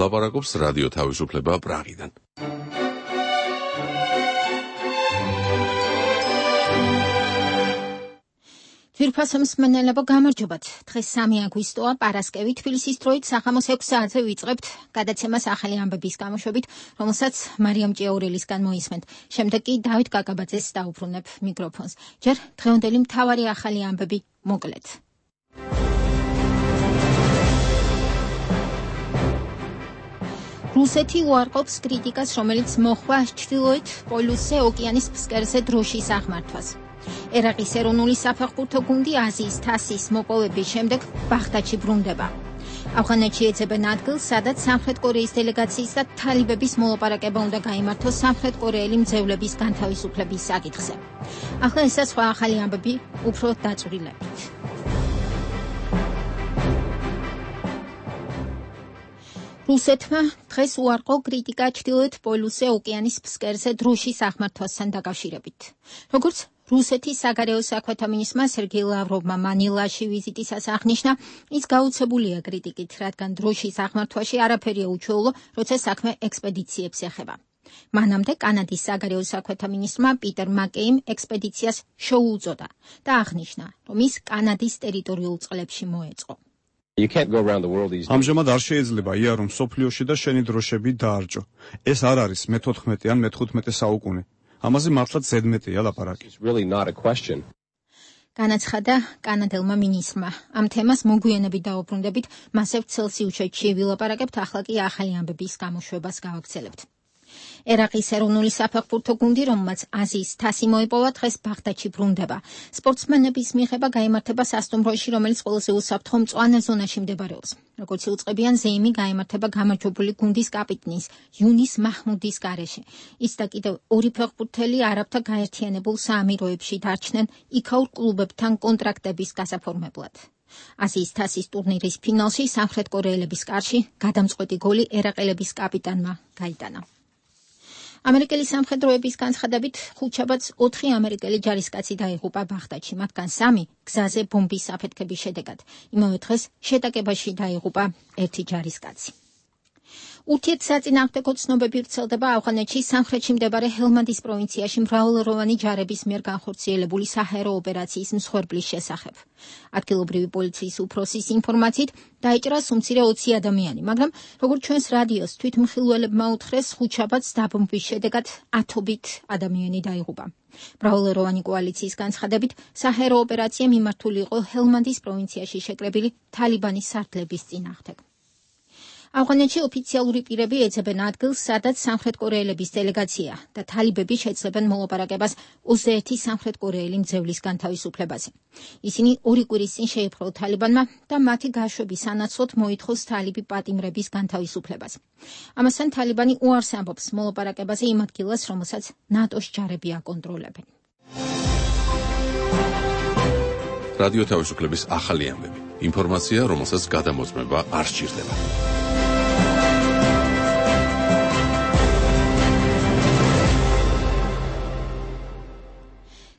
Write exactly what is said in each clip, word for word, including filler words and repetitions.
ლაპარაკობს რადიო თავისუფლება პრაღიდან. თვირფასო მსმენელებო, გამარჯობათ. დღეს სამი აგვისტოა, პარასკევი, თბილისის დროით სახამოს ექვსი საათზე ვიწყებთ გადაცემას ახალი ამბების გამოშვებით, რომელსაც მარიამ ჭიაურელისგან მოისმენთ. შემდეგ კი დავით კაკაბაძეს დაუბრუნებ მიკროფონს. ჯერ დღევანდელი მთავარი ახალი ამბები მოკლედ. რუსეთი უარყოფს კრიტიკას, რომელიც მოხდა ჩრდილოეთ პოლუსზე ოკეანის ფსკერზე დროშის აღმართვას. ერაყის ეროვნული საფეხბურთო გუნდი აზიის თასის მოპოვების შემდეგ ბაღდადში ბრუნდება. ავღანეთში ეძებენ ადგილს, სადაც სამხრეთ კორეის დელეგაციის და თალიბების მოლაპარაკება უნდა გაიმართოს სამხრეთ კორეელი მძევლების განთავისუფლების საკითხზე. ახლა ესა სხვა ახალი ამბები უფრო დაწვრილებით. რუსეთმა დღეს უარყო კრიტიკა ჩრდილოეთ პოლუსზე ოკეანის ფსკერზე დროშის აღმართვასთან დაკავშირებით. როგორც რუსეთის საგარეო საქმეთა მინისტრმა სერგეი ლავროვმა მანილაში ვიზიტისას აღნიშნა, ის გაუცებულია კრიტიკით, რადგან დროშის აღმართვაში არაფერია უჩვეულო, როცა საქმე ექსპედიციებს ეხება. მანამდე კანადის საგარეო საქმეთა მინისტრმა პიტერ მაკეიმ ექსპედიციას შოუ უწოდა და აღნიშნა, რომ ის კანადის ტერიტორიულ წყლებში მოეწყო. ამჟამად არ შეიძლება იარო მსოფლიოში და შენი დროშები დაარჭო. ეს არ არის მეთოთხმეტე ან მეთოთხმეტე საუკუნე. ამაზე მართლაც ზედმეტია ლაპარაკი. განაცხადა კანადელმა მინისტრმა. ამ თემას მოგვიანებით დაუბრუნდებით, მასევ ცელსიუსში ვილაპარაკებთ, ახლა კი ახალი ამბების გამოშვებას გავაგრძელებთ. ერაყის ეროვნული საფეხბურთო გუნდი, რომელმაც აზიის თასი მოიპოვა, დღეს ბაღდადში ბრუნდება. სპორტსმენების მიღება გაიმართება სასტუმროში, რომელიც ყველაზე უსაფრთხო მწვანე ზონაში მდებარეობს. როგორც იუწყებიან, ზეიმი გაიმართება გამარჯვებული გუნდის კაპიტნის იუნის მაჰმუდის გარეშე. ის და კიდევ ორი ფეხბურთელი არაბთა გაერთიანებულ საამიროებში დარჩნენ იქაურ კლუბებთან კონტრაქტების გასაფორმებლად. აზიის თასის ტურნირის ფინალში სამხრეთ კორეელების კარში გადამწყვეტი გოლი ერაყელების კაპიტანმა გაიტანა. ამერიკელი სამხედროების განცხადებით, ხუთშაბათს ოთხი ამერიკელი ჯარისკაცი დაიღუპა ბაღდადში, მათგან სამი გზაზე ბომბის აფეთქების შედეგად. იმავე დღეს შეტაკებაში დაიღუპა ერთი ჯარისკაცი. ურთიერთსაწინააღმდეგო ცნობები ვრცელდება ავღანეთში სამხრეთში მდებარე ჰელმანდის პროვინციაში მრავალროვანი ჯარების მიერ განხორციელებული საჰაერო ოპერაციის მსხვერპლის შესახებ. ადგილობრივი პოლიციის უფროსის ინფორმაციით დაიჭრა უმცირე ოცი ადამიანი, მაგრამ როგორც ჩვენს რადიოს თვითმხილველებმა უთხრეს, ხუთშაბათს დაბომბვის შედეგად ათობით ადამიანი დაიღუპა. მრავალროვანი კოალიციის განცხადებით, საჰაერო ოპერაცია მიმართული იყო ჰელმანდის პროვინციაში შეკრებილი თალიბანის სარდლების წინააღმდეგ. ავღანეთში ოფიციალური პირები ეძებენ ადგილს, სადაც სამხრეთ კორეელების დელეგაცია და თალიბები შეძლებენ მოლაპარაკებას ოცდაერთი სამხრეთ კორეელი მძევლის განთავისუფლებაზე. ისინი ორი კვირის წინ შეიპყრო თალიბანმა და მათი გაშვების სანაცვლოდ მოითხოვს თალიბი პატიმრების განთავისუფლებას. ამასთან თალიბანი უარს ამბობს მოლაპარაკებაზე იმ ადგილას, რომელსაც ნატოს ჯარები აკონტროლებენ. რადიო თავისუფლების ახალი ამბები. ინფორმაცია, რომელსაც გადამოწმება არ სჭირდება.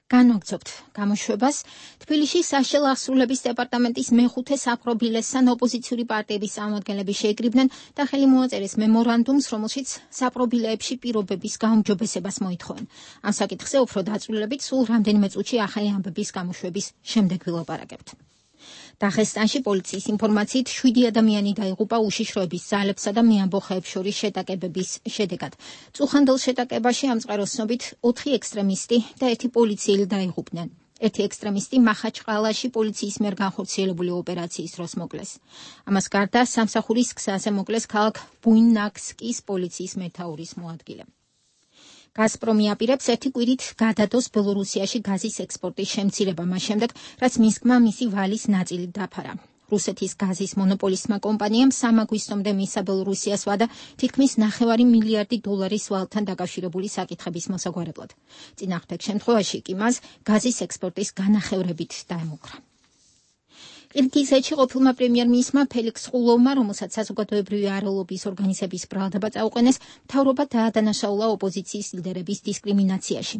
განვაგრძობთ გამოშვებას. თბილისში საშიაო აღსრულების დეპარტამენტის მეხუთე საპრობილესთან ოპოზიციური პარტიების წარმომადგენლები შეიკრიბნენ და ხელი მოაწერეს მემორანდუმს, რომელშიც საპრობილეებში პირობების გაუმჯობესებას მოითხოვენ. ამ საკითხზე უფრო დაწვრილებით სულ რამდენიმე წუთში ახალი ამბების გამოშვების შემდეგ ვილაპარაკებთ. დაღესტანში პოლიციის ინფორმაციით შვიდი ადამიანი დაიღუპა უშიშროების ძალებსა და მეამბოხეებს შორის შეტაკებების შედეგად. წუხანდელ შეტაკებაში ამწყაროსნობით ოთხი ექსტრემისტი და ერთი პოლიციელი დაიღუპნენ. ერთი ექსტრემისტი მახაჩყალაში პოლიციის მიერ განხორციელებული ოპერაციის დროს მოკლეს. ამას გარდა სამსახურის გზაზე მოკლეს ქალაქ ბუინაკსკის პოლიციის მეთაურის მოადგილე. გაზპრომი აპირებს ერთი კვირით გადადოს ბელორუსიაში გაზის ექსპორტის შემცირება, მას შემდეგ, რაც მინსკმა მისი ვალის ნაწილი დაფარა. რუსეთის გაზის მონოპოლისტმა კომპანიამ სამ აგვისტომდე მისცა ბელორუსიას ვადა თითქმის ნახევარი მილიარდი დოლარის ვალთან დაკავშირებული საკითხების მოსაგვარებლად. წინააღმდეგ შემთხვევაში კი მას გაზის ექსპორტის განახევრებით დაემუქრა. ყირგიზეთში ყოფილმა პრემიერ-მინისტრმა ფელიქს ყულოვმა, რომელსაც საზოგადოებრივი არალობის ორგანიზების ბრალდება წაუყენეს, მთავრობა დაადანაშაულა ოპოზიციის ლიდერების დისკრიმინაციაში.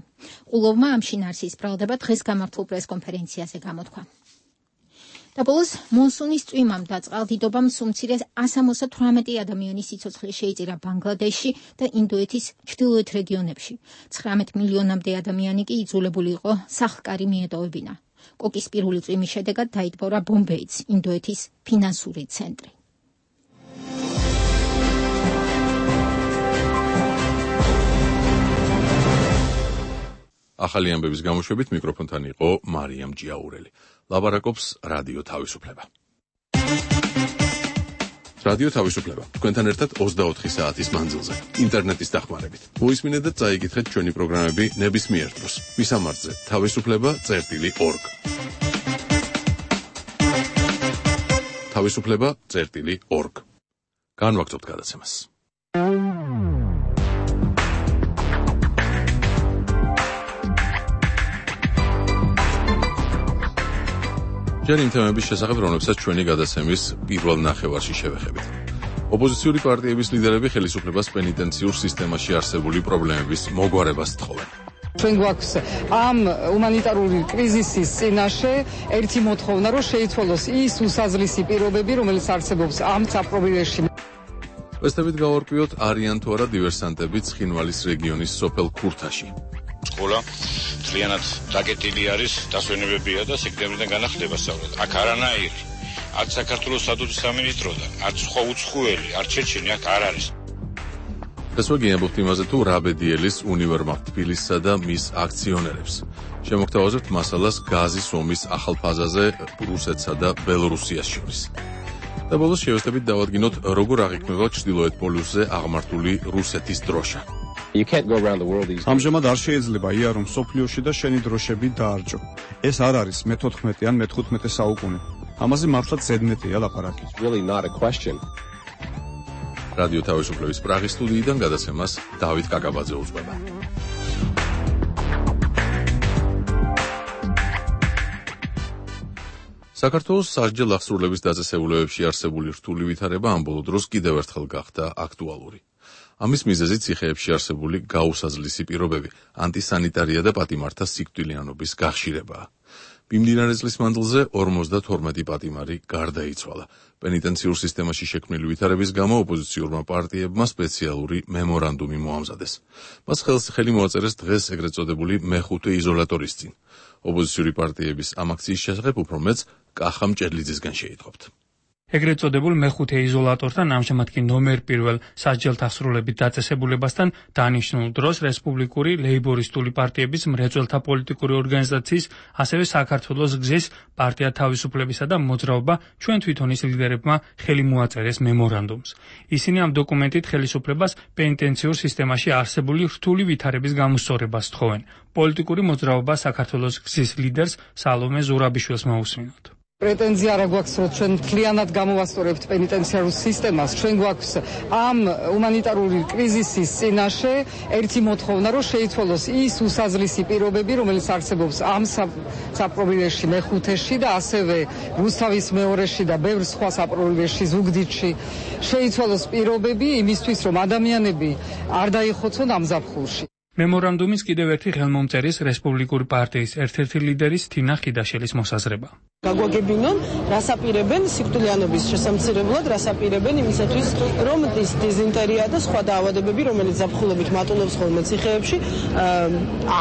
ყულოვმა ამ შინაარსის ბრალდება დღეს გამართულ პრესკონფერენციაზე გამოთქვა. და ბოლოს მონსუნის წვიმამ და წყალდიდობამ სულ მცირე εκατს ოცდაოთხ ადამიანის სიცოცხლე შეიწირა ბანგლადეშში და ინდოეთის ჩრდილოეთ რეგიონებში. ცხრამეტ მილიონამდე ადამიანი კი იძულებული იყო სახლ-კარი მიეტოვებინა. კოკის პირველი წვიმის შედეგად დაიტბორა ბომბეიც, ინდოეთის ფინანსური ცენტრი. ახალი ამბების გამოშვებით მიკროფონთან იყო მარიამ ჯიაურელი. ლაბარაკობს რადიო თავისუფლება. რადიო თავისუფლება. თქვენთან ერთად ოცდაოთხი საათის მანძილზე, ინტერნეტის დახმარებით. მოისმინეთ და წაიკითხეთ ჩვენი პროგრამები ნებისმიერ დროს. მისამართზე თავისუფლება წერტილი ორგ. თავისუფლება წერტილი ორგ. განვაგრძობთ გადაცემას. ჯერ იმ თემების შესახებ, რომლებსაც ჩვენი გადაცემის პირველ ნახევარში შევეხებით. ოპოზიციური პარტიების ლიდერები ხელისუფლებას პენიტენციურ სისტემაში არსებული პრობლემების მოგვარებას თხოვენ. ჩვენ გვაქვს ამ ჰუმანიტარული კრიზისის წინაშე ერთი მოთხოვნა, რომ შეიცვალოს ის უსაზლისი პირობები, რომელიც არსებობს ამ საპრობილეში. ვესტებით გავარკვიოთ, არიან თუ არა დივერსანტები ცხინვალის რეგიონის სოფელ ქურთაში. სკოლა ძალიანად დაკეტილი არის, დასვენებებია და სექტემბრიდან განახლდება სწავლა. აქ არანაირი, არც საქართველოს სადუძის სამინისტროდან, არც სხვა უცხოელი, არც ჩეჩენი აქ არ არის. ეს ვაგინებობთ იმაზე, თუ რა ბედიელის უნივერმაღ თბილისსა და მის აქციონერებს. შემოგთავაზებთ მასალას გაზის ომის ახალ ფაზაზე რუსეთსა და ბელორუსიას შორის. და ბოლოს შევეცდებით დავადგინოთ, როგორ აღიქმება ჩრდილოეთ პოლუსზე აღმართული რუსეთის დროშა. ამჟამად არ შეიძლება იარო მსოფლიოში და შენი დროშები დაარჯო. ეს არ არის მეთოთხმეტე ან მეთხუთმეტე საუკუნე. ამაზე მართლაც ზედმეტია ლაპარაკი. რადიო თავისუფლების პრაღის სტუდიიდან გადაცემას დავით კაკაბაძე უძღვება. საქართველოს სასჯელ აღსრულების დაწესებულებებში არსებული რთული ვითარება ამ ბოლო დროს კიდევ ერთხელ გახდა აქტუალური. ამის მიზეზი ციხეებში არსებული გაუსაზლისი პირობები, ანტისანიტარია და პატიმართა სიკვდილიანობის გახშირებაა. მიმდინარე წლის მანძილზე ორმოცდათორმეტი პატიმარი გარდაიცვალა. პენიტენციურ სისტემაში შექმნილი ვითარების გამო ოპოზიციურმა პარტიებმა სპეციალური მემორანდუმი მოამზადეს. მას ხელი მოაწერეს დღეს ეგრეთ წოდებული მეხუთე იზოლატორის წინ. ოპოზიციური პარტიების ამ აქციის შესახებ უფრო მეც კახა მჭედლიძისგან შეითხოვთ. ეგრეთ წოდებულ მეხუთე იზოლატორთან ამჟამად კი ნომერ პირველ სასჯელთა აღსრულების დაწესებულებასთან დანიშნულ დროს რესპუბლიკური ლეიბორისტული პარტიების მრეწველთა პოლიტიკური ორგანიზაციის, ასევე საქართველოს გზის პარტია თავისუფლებისა და მოძრაობა ჩვენ თვითონის ლიდერებმა ხელი მოაწერეს მემორანდუმს. ისინი ამ დოკუმენტით ხელისუფლებას პენიტენციურ სისტემაში არსებული რთული ვითარების გამოსწორებას თხოვენ. პოლიტიკური მოძრაობა საქართველოს გზის ლიდერს სალომე ზურაბიშვილს მოусმინოთ. პრეტენზია არ გვაქვს, რომ ჩვენ მთლიანად გამოვასწორებთ პენიტენციარულ სისტემას. ჩვენ გვაქვს ამ ჰუმანიტარული კრიზისის წინაშე ერთი მოთხოვნა, რომ შეიცვალოს ის უსაზლისი პირობები, რომელიც არსებობს ამ საპრობილეში მეხუთეში და ასევე რუსთავის მეორეში და ბევრ სხვა საპრობილეში ზუგდიდში. შეიცვალოს პირობები იმისთვის, რომ ადამიანები არ დაიხოცონ ამ ზაფხულში. მემორანდუმის კიდევ ერთი ხელმომწერის რესპუბლიკური პარტიის ერთ-ერთი ლიდერის თინა ხიდაშელის მოსაზრება. გაგვაგებინონ, რასაპირებენ სიკვდილიანობის შესამცირებლად, რასაპირებენ იმისათვის, რომ დიზენტერია და სხვა დაავადებები, რომელიც ზაფხულობით მატულობს ხოლმე ციხეებში,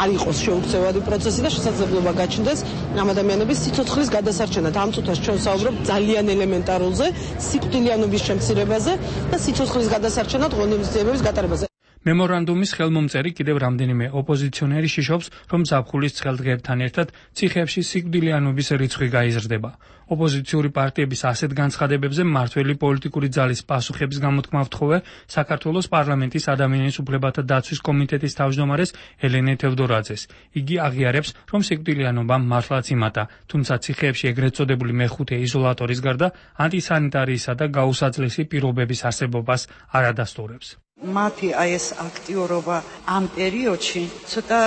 არ იყოს შეუქცევადი პროცესი და შესაძლებლობა გაჩნდეს ამ ადამიანების სიცოცხლის გადასარჩენად. ამ წუთას ჩვენ საუბრობთ ძალიან ელემენტარულზე, სიკვდილიანობის შემცირებაზე და სიცოცხლის გადასარჩენად ღონისძიებების გატარებაზე. მემორანდუმის ხელმომწერი კიდევ რამდენიმე ოპოზიციონერი შიშობს, რომ ზაფხულის ცხელ დღეებთან ერთად ციხეებში სიკვდილიანობის რიცხვი გაიზრდება. ოპოზიციური პარტიების ასეთ განცხადებებზე მმართველი პოლიტიკური ძალის პასუხების გამოთქმა ვთხოვე საქართველოს პარლამენტის ადამიანის უფლებათა დაცვის კომიტეტის თავმჯდომარეს ელენე თევდორაძეს. იგი აღიარებს, რომ სიკვდილიანობა მართლაც იმატა, თუმცა ციხეებში ეგრეთ წოდებული მეხუთე იზოლატორის გარდა ანტისანიტარიისა და გაუსაძლისი პირობების არსებობას არ ადასტურებს. მათი აი ეს აქტიურობა ამ პერიოდში ცოტა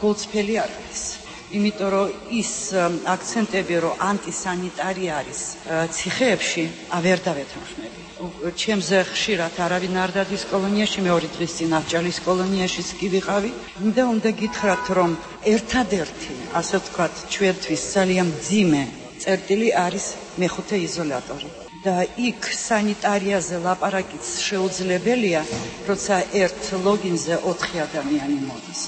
გულწრფელი არ არის. იმიტომ რომ ის აქცენტები, რომ ანტისანიტარია არის ციხეებში, ვერ დავეთანხმები. ჩემზე ხშირად არავინ არ დადის კოლონიაში, მე ორი დღის წინ ავჭალის კოლონიაშიც კი ვიყავი. და უნდა გითხრათ, რომ ერთადერთი, ასე ვთქვათ, ჩვენთვის ძალიან მძიმე წერტილი არის მეხუთე იზოლატორი. და იქ სანიტარიაზე ლაპარაკიც შეუძლებელია, როცა ერთ ლოგინზე ოთხი ადამიანი მოდის.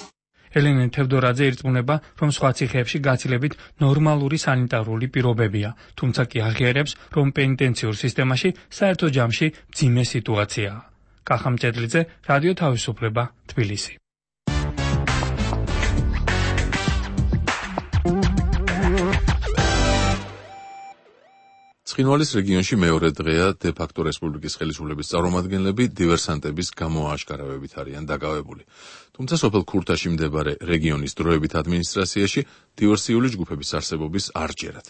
ელენე თევდორაძე ირწმუნება, რომ სხვა ციხეებში გაცილებით ნორმალური სანიტარული პირობებია, თუმცა კი აღიარებს, რომ პენიტენციურ სისტემაში საერთო ჯამში მძიმე სიტუაციაა. კახა მჭედლიძე, რადიო თავისუფლება, თბილისი. ცხინვალის რეგიონში მეორე დღეა დე-ფაქტო რესპუბლიკის ხელისუფლების წარმომადგენლები დივერსანტების გამოაშკარავებით არიან დაკავებული. თუმცა სოფელ ქურთაში მდებარე რეგიონის დროებით ადმინისტრაციაში დივერსიული ჯგუფების არსებობის არ ჯერათ.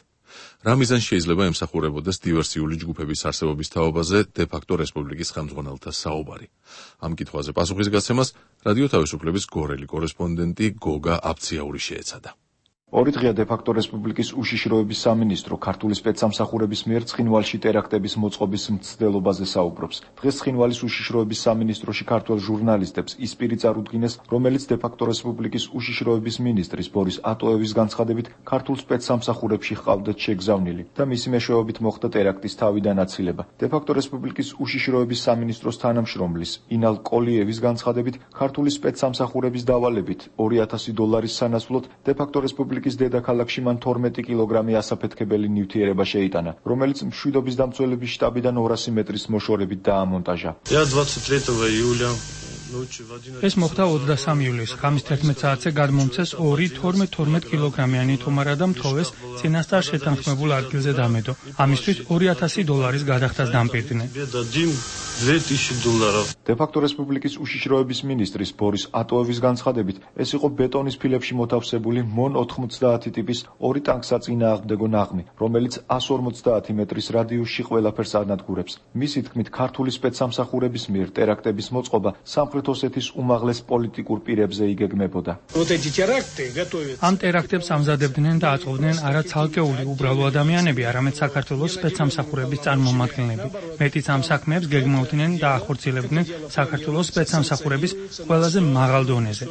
რა მიზანს შეიძლება ემსახურებოდეს დივერსიული ჯგუფების არსებობის თაობაზე დე-ფაქტო რესპუბლიკის ხელმძღვანელთა საუბარი. ამ კითხვაზე პასუხისგაცემას რადიო თავისუფლების გორელი კორესპონდენტი გოგა აბციაური შეეცადა. ორი დღეა დე-ფაქტო რესპუბლიკის უშიშროების სამინისტრო ქართული სპეცსამსახურების მიერ ცხინვალში ტერაქტების მოწყობის მცდელობაზე საუბრობს. დღეს ცხინვალის უშიშროების სამინისტროში ქართველ ჟურნალისტებს ის პირი წარუდგინეს, რომელიც დე-ფაქტო რესპუბლიკის უშიშროების მინისტრის ბორის ატოევის განცხადებით ქართულ სპეცსამსახურებში ჰყავდათ შეგზავნილი და მისი მეშვეობით მოხდა ტერაქტის თავიდან აცილება. დე-ფაქტო რესპუბლიკის უშიშროების სამინისტროს თანამშრომლის ინალ კოლიევის განცხადებით ქართული სპეცსამსახურების დავალებით ორი ათასი დოლარის სანაცვლოდ დე-ფაქტო რესპუბლიკის დედაქალაქში მან თორმეტი კილოგრამი ასაფეთქებელი ნივთიერება შეიტანა, რომელიც მშვიდობის დამცველების შტაბიდან ორასი მეტრის მოშორებით დაამონტაჟა. ეს მოხდა ოცდასამი ივლისს, ღამის თერთმეტ საათზე გადმომცეს ორი თორმეტ თორმეტ კილოგრამიანი თომარა და მთოვეს წინასწარ შეთანხმებულ ადგილზე დამედო. ამისთვის ორი ათასი დოლარის გადახდას დამპირდნენ. დე-ფაქტო რესპუბლიკის უშიშროების მინისტრის ბორის ატოევის განცხადებით, ეს იყო ბეტონის ფილებში მოთავსებული მონ ოთხმოცდაათი ტიპის ორი ტანკსაწინააღმდეგო ნაღმი, რომელიც ას ორმოცდაათი მეტრის რადიუსში ყველაფერს ანადგურებს. მისი თქმით, ქართული სპეცსამსახურების მიერ ტერაქტების მოწყობა სამხრეთ ოსეთის უმაღლეს პოლიტიკურ პირებზე იგეგმებოდა. ამ ტერაქტებს ამზადებდნენ და აწყობდნენ არა ცალკეული უბრალო ადამიანები, არამედ საქართველოს სპეცსამსახურების წარმომადგენლები. მეტიც ამ საქმეებს გეგმავდნენ და ახორციელებდნენ საქართველოს სპეცსამსახურების ყველაზე მაღალ დონეზე.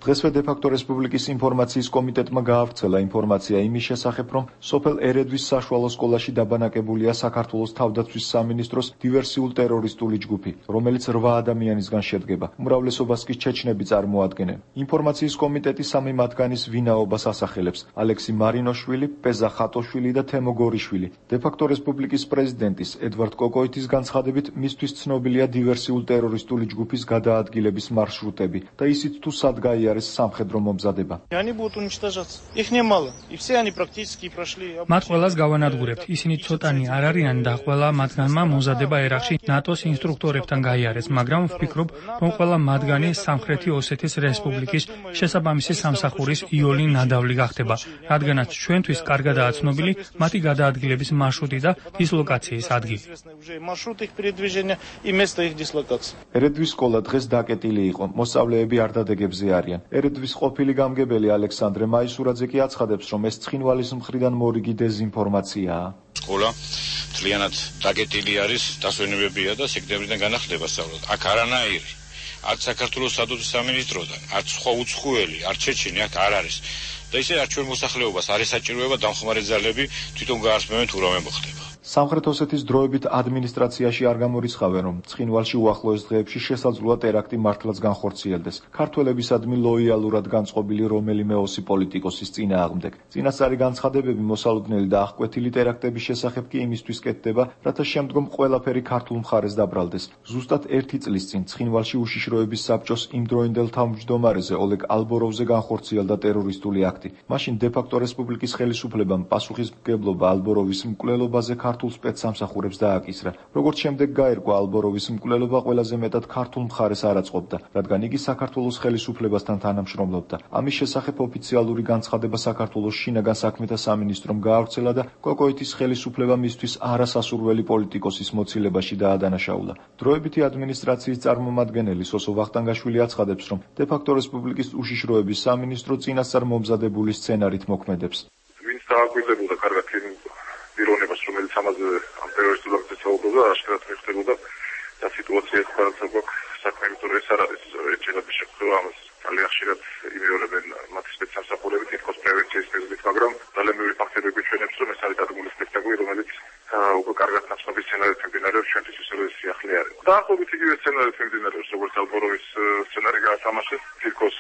დღესვე დე-ფაქტო რესპუბლიკის ინფორმაციის კომიტეტმა გაავრცელა ინფორმაცია იმის შესახებ, რომ სოფელ ერედვის საშუალო სკოლაში დაბანაკებულია საქართველოს თავდაცვის სამინისტროს დივერსიულ ტერორისტული ჯგუფი, რომელიც რვა ადამიანისგან შედგება. უმრავლესობას კი ჩეჩნები წარმოადგენენ. ინფორმაციის კომიტეტი სამი მათგანის ვინაობას ასახელებს: ალექსი მარინოშვილი, პეზა ხატოშვილი და თემო გორიშვილი. დე-ფაქტო რესპუბლიკის პრეზიდენტის ედვარდ კოკოიტის განცხადებით, მისთვის ცნობილია დივერსიულ ტერორისტული ჯგუფის გადაადგილების მარშრუტები და ისიც თუ სად გაიარეს სამხედრო მომზადება. მათ ყველას გავანადგურებთ. ისინი ცოტანი არ არიან და ყველა მათგანმა მომზადება ერაყში ნატოს ინსტრუქტორებთან გაიარეს, მაგრამ ვფიქრობ, რომ ყველა მათგანი სამხრეთი ოსეთის რესპუბლიკის შესაბამისი სამსახურის იოლი ნადავლი გახდება, რადგანაც ჩვენთვის კარგადაა ცნობილი მათი გადაადგილების მარშრუტი და დისლოკაციის ადგილი. ერედვის სკოლა დღეს დაკეტილი იყო, მოსწავლეები არ დადეგებზე არიან. ერედვის ყოფილი გამგებელი ალექსანდრე მაისურაძე კი აცხადებს, რომ ეს ცხინვალის მხრიდან მორიგი დეზინფორმაციაა. სკოლა მთლიანად დაკეტილი არის, დასვენებებია და სექტემბრიდან განახლდება სწავლა. აქ არანაირი არც საქართველოს სადაცვის სამინისტროდან, არც სხვა უცხოელი, არც ჩეჩინი აქ არ არის. და ისე არ ჩვენ მოსახლეობას არ ესაჭიროება დამხმარე ძალები თვითონ გაარსმევენ თუ რამე მოხდება. სამხრეთ ოსეთის დროებით ადმინისტრაციაში არ გამორიცხავენ, რომ ცხინვალში უახლოეს დღეებში შესაძლოა ტერაქტი მართლაც განხორციელდეს. ქართველებისადმი ლოიალურად განწყობილი რომელიმე ოსი პოლიტიკოსის წინააღმდეგ. წინასწარი განცხადებები მოსალოდნელი და აღკვეთილი ტერაქტების შესახებ კი იმისთვის კეთდება, რათა შემდგომ ყველაფერი ქართულ მხარეს დაბრალდეს. ზუსტად ერთი წლის წინ ცხინვალში უშიშროების საბჭოს იმდროინდელ თავმჯდომარეზე ოლეგ ალბოროვზე განხორციელდა ტერორისტული აქტი. მაშინ დე-ფაქტო რესპუბლიკის ხელისუფლებამ პასუხისმგებლობა ალბოროვის მკვლელობაზე ქართულ სპეცსამსახურებს დააკისრა. როგორც შემდეგ გაირკვა, ალბოროვის მკვლელობა ყველაზე მეტად ქართულ მხარეს არ აწყობდა, რადგან იგი საქართველოს ხელისუფლებასთან თანამშრომლობდა. ამის შესახებ ოფიციალური განცხადება საქართველოს შინაგან საქმეთა სამინისტრომ გაავრცელა და კოკოიტის ხელისუფლება მისთვის არასასურველი პოლიტიკოსის მოცილებაში დაადანაშაულა. დროებითი ადმინისტრაციის წარმომადგენელი სოსო ვახტანგაშვილი აცხადებს, რომ დე-ფაქტო რესპუბლიკის უშიშროების სამინისტრო წინასწარ მომზადებული სცენარით მოქმედებს. ვინც დააკვირდებოდა კარგად პიროვნებას, რომელიც ამაზე ამ ტერორისტულ აქტზე საუბრობდა, აშკარად მიხვდებოდა და სიტუაცია ხარაცა გვაქვს საქმე, იმიტომ რომ ეს არ არის ეჭირების შეხვედრა, ამას ძალიან ხშირად იმეორებენ მათი სპეცსამსახურები, თითქოს პრევენციის მიზნით, მაგრამ ძალიან ბევრი ფაქტორები ჩვენებს, რომ ეს არის დადგმული სპექტაკლი, რომელიც უკვე კარგად ნაცნობი სცენარით მიმდინარეობს, ჩვენთვის ისევე სიახლე არის. დაახლოებით იგივე სცენარით მიმდინარეობს, როგორც ალბოროვის სცენარი გაათამაშეს, თითქოს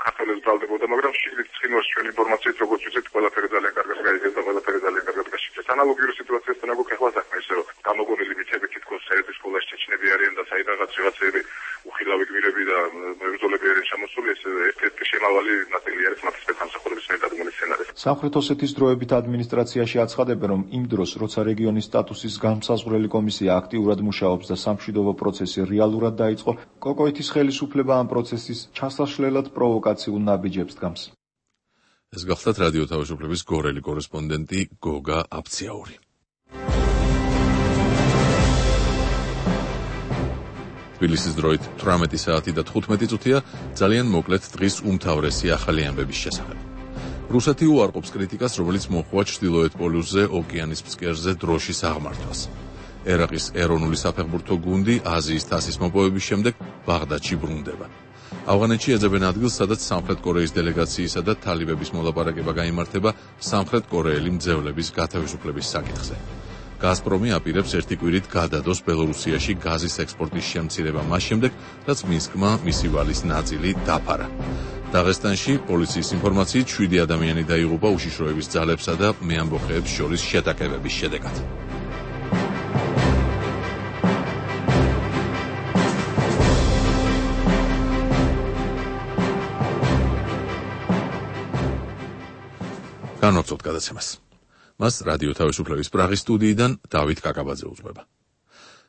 ქართველებს ბრალდებოდა, მაგრამ შიგნით ცხინვალს ჩვენ ინფორმაციით როგორც ვიცით, ყველაფერი ძალიან კარგად გაიგეს და ყველაფერი ძალიან კარგად გაშიფრეს. ანალოგიური სიტუაციასთან აქვს ახლა საქმე, ისე რომ გამოგონილი მითები თითქოს საერთო სკოლაში ჩეჩნები არიან და საიდანაც რაღაცეები უხილავი გმირები და მებრძოლები არიან ჩამოსული, ეს ერთ-ერთი შემავალი ნაწილი არის მათი სპეცსამსახურების დადგმული სცენარი. სამხრეთ ოსეთის დროებით ადმინისტრაციაში აცხადებენ, რომ იმ დროს, როცა რეგიონის სტატუსის განმსაზღვრელი კომისია აქტიურად მუშაობს და სამშვიდობო პროცესი რეალურად დაიწყო, კოკოითის ხელისუფლება ამ პროცესის ჩასაშლელად პროვოკაციულ ნაბიჯებს დგამს. ეს გახლავთ რადიო თავისუფლების გორელი კორესპონდენტი გოგა აფციაური. თბილისის დროით თვრამეტი საათი და თხუთმეტი წუთია, ძალიან მოკლედ დღის უმთავრესი ახალი ამბების შესახებ. რუსეთი უარყოფს კრიტიკას, რომელიც მოჰყვა ჩრდილოეთ პოლუსზე ოკეანის ფსკერზე დროშის აღმართვას. ერაყის ეროვნული საფეხბურთო გუნდი აზიის თასის მოპოვების შემდეგ ბაღდადში ბრუნდება. ავღანეთში ეძებენ ადგილს, სადაც სამხრეთ კორეის დელეგაციისა და თალიბების მოლაპარაკება გაიმართება სამხრეთ კორეელი მძევლების გათავისუფლების საკითხზე. გაზპრომი აპირებს ერთი კვირით გადადოს ბელორუსიაში გაზის ექსპორტის შემცირება მას შემდეგ, რაც მინსკმა მისი ვალის ნაწილი დაფარა. დაღესტანში პოლიციის ინფორმაციით შვიდი ადამიანი დაიღუპა უშიშროების ძალებსა და მეამბოხეებს შორის შეტაკებების შედეგად. განვაგრძობთ გადაცემას. მას რადიო თავისუფლების პრაღის სტუდიიდან დავით კაკაბაძე უძღვება.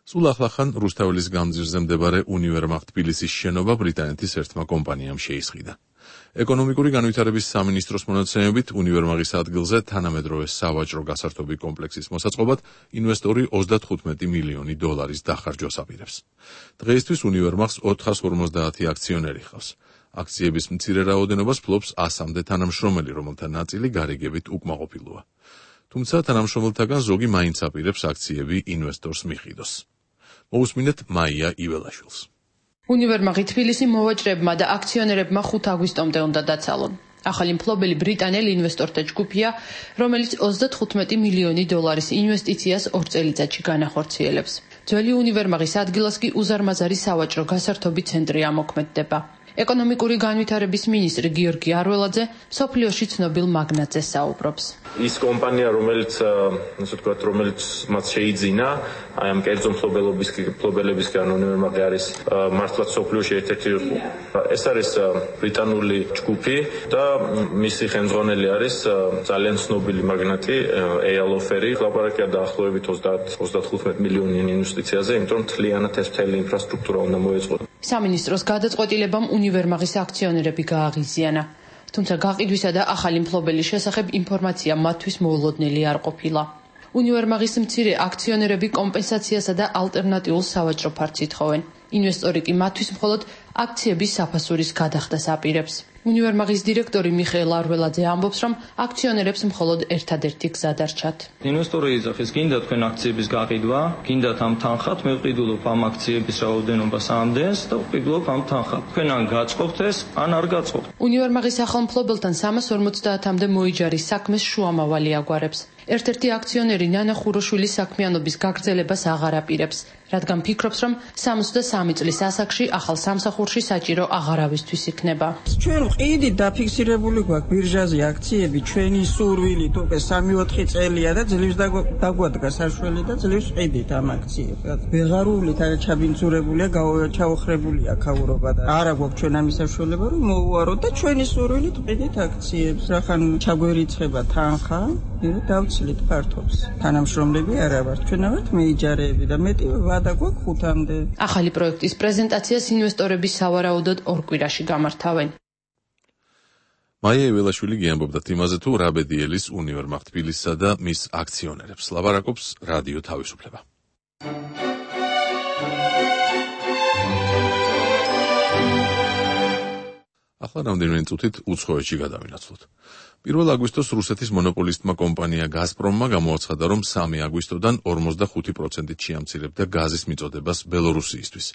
სულ ახლახან რუსთაველის გამზირზე მდებარე უნივერმაღ თბილისის შენობა ბრიტანეთის ერთმა კომპანიამ შეისყიდა. ეკონომიკური განვითარების სამინისტროს მონაცემებით უნივერმაღის ადგილზე თანამედროვე სავაჭრო გასართობი კომპლექსის მოსაწყობად ინვესტორი ოცდათხუთმეტი მილიონი დოლარის დახარჯვას აპირებს. დღეისთვის უნივერმაღს ოთხას ორმოცდაათი აქციონერი ჰყავს. აქციების მცირე რაოდენობას ფლობს ასამდე თანამშრომელი, რომელთა ნაწილი გარიგებით უკმაყოფილოა. თუმცა თანამშრომელთაგან ზოგი მაინც აპირებს აქციები ინვესტორს მიყიდოს. მოусმინეთ მაია იველაშვილს. უნივერმაღი თბილისი მოვაჭრეებმა და აქციონერებმა ხუთ აგვისტომდე უნდა დაცალონ. ახალი მფლობელი ბრიტანელი ინვესტორთა ჯგუფია, რომელიც ოცდათხუთმეტი მილიონი დოლარის ინვესტიციას ორ წელიწადში განახორციელებს. ძველი უნივერმაღის ადგილას კი უზარმაზარი სავაჭრო გასართობი ცენტრი ამოქმედდება. ეკონომიკური განვითარების მინისტრი გიორგი არველაძე სოფლიოში ცნობილ მაგნატზე საუბრობს. ის კომპანია, რომელიც, ასე ვთქვათ, რომელიც მათ შეიძინა, აი ამ კერძო მფლობელობის მფლობელებისგან უნივერმაღი არის მართლაც სოფლიოში ერთ-ერთი. ეს არის ბრიტანული ჯგუფი და მისი ხელმძღვანელი არის ძალიან ცნობილი მაგნატი ეიალ ოფერი. ლაპარაკია დაახლოებით ოცდათხუთმეტ მილიონი ინვესტიციაზე, იმიტომ რომ მთლიანად ეს მთელი ინფრასტრუქტურა უნდა მოეწყო. სამინისტროს გადაწყვეტილებამ უნივერმაღის აქციონერები გააღიზიანა. თუმცა გაყიდვისა და ახალი მფლობელის შესახებ ინფორმაცია მათთვის მოულოდნელი არ ყოფილა. უნივერმაღის მცირე აქციონერები კომპენსაციასა და ალტერნატიულ სავაჭრო ფართს ითხოვენ. ინვესტორი კი მათთვის მხოლოდ აქციების საფასურის გადახდას აპირებს. უნივერმაღის დირექტორი მიხეილ არველაძე ამბობს, რომ აქციონერებს მხოლოდ ერთადერთი გზა დარჩათ. ინვესტორი იძახის, გინდა თქვენ აქციების გაყიდვა, გინდათ ამ თანხად, მე ვყიდულობ ამ აქციების რაოდენობას ამდენს და ვყიდულობ ამ თანხად. თქვენ ან გაწყობთ ეს, ან არ გაწყობთ. უნივერმაღის ახალ მფლობელთან სამას ორმოცდაათამდე მოიჯარის საქმეს შუამავალი აგვარებს. ერთ-ერთი აქციონერი ნანა ხუროშვილის საქმიანობის გაგრძელებას აღარ აპირებს, რადგან ფიქრობს, რომ სამოცდასამი წლის ასაკში ახალ სამსახურში საჭირო აღარავისთვის იქნება. ჩვენ ვყიდით დაფიქსირებული გვაქვს ბირჟაზე აქციები, ჩვენი სურვილით უკვე სამი ოთხი წელია და ძლივს დაგვადგა საშველი და ძლივს ვყიდით ამ აქციებს. ვეღარული და ჩაბინძურებულია, ჩაოხრებულია ქაურობა და არა გვაქვს ჩვენ ამის საშუალება რომ მოვუაროთ და ჩვენი სურვილით ვყიდით აქციებს. რახან ჩაგვერიცხება თანხა, დავცლით ფართობს. თანამშრომლები არა ვართ, ჩვენ ვართ მეიჯარეები და მეტი ვადა გვაქვს ხუთამდე. ახალი პროექტის პრეზენტაციას ინვესტორები სავარაუდოდ ორ კვირაში გამართავენ. მაია იველაშვილი გიამბობდა იმაზე, თუ რა ბედიელის უნივერმაღ თბილისსა და მის აქციონერებს. ლაპარაკობს რადიო თავისუფლება. ახლა რამდენიმე წუთით უცხოეთში გადავინაცვლოთ. პირველ აგვისტოს რუსეთის მონოპოლისტმა კომპანია გაზპრომმა გამოაცხადა, რომ სამი აგვისტოდან ორმოცდახუთი პროცენტით შეამცირებდა გაზის მიწოდებას ბელორუსიისთვის,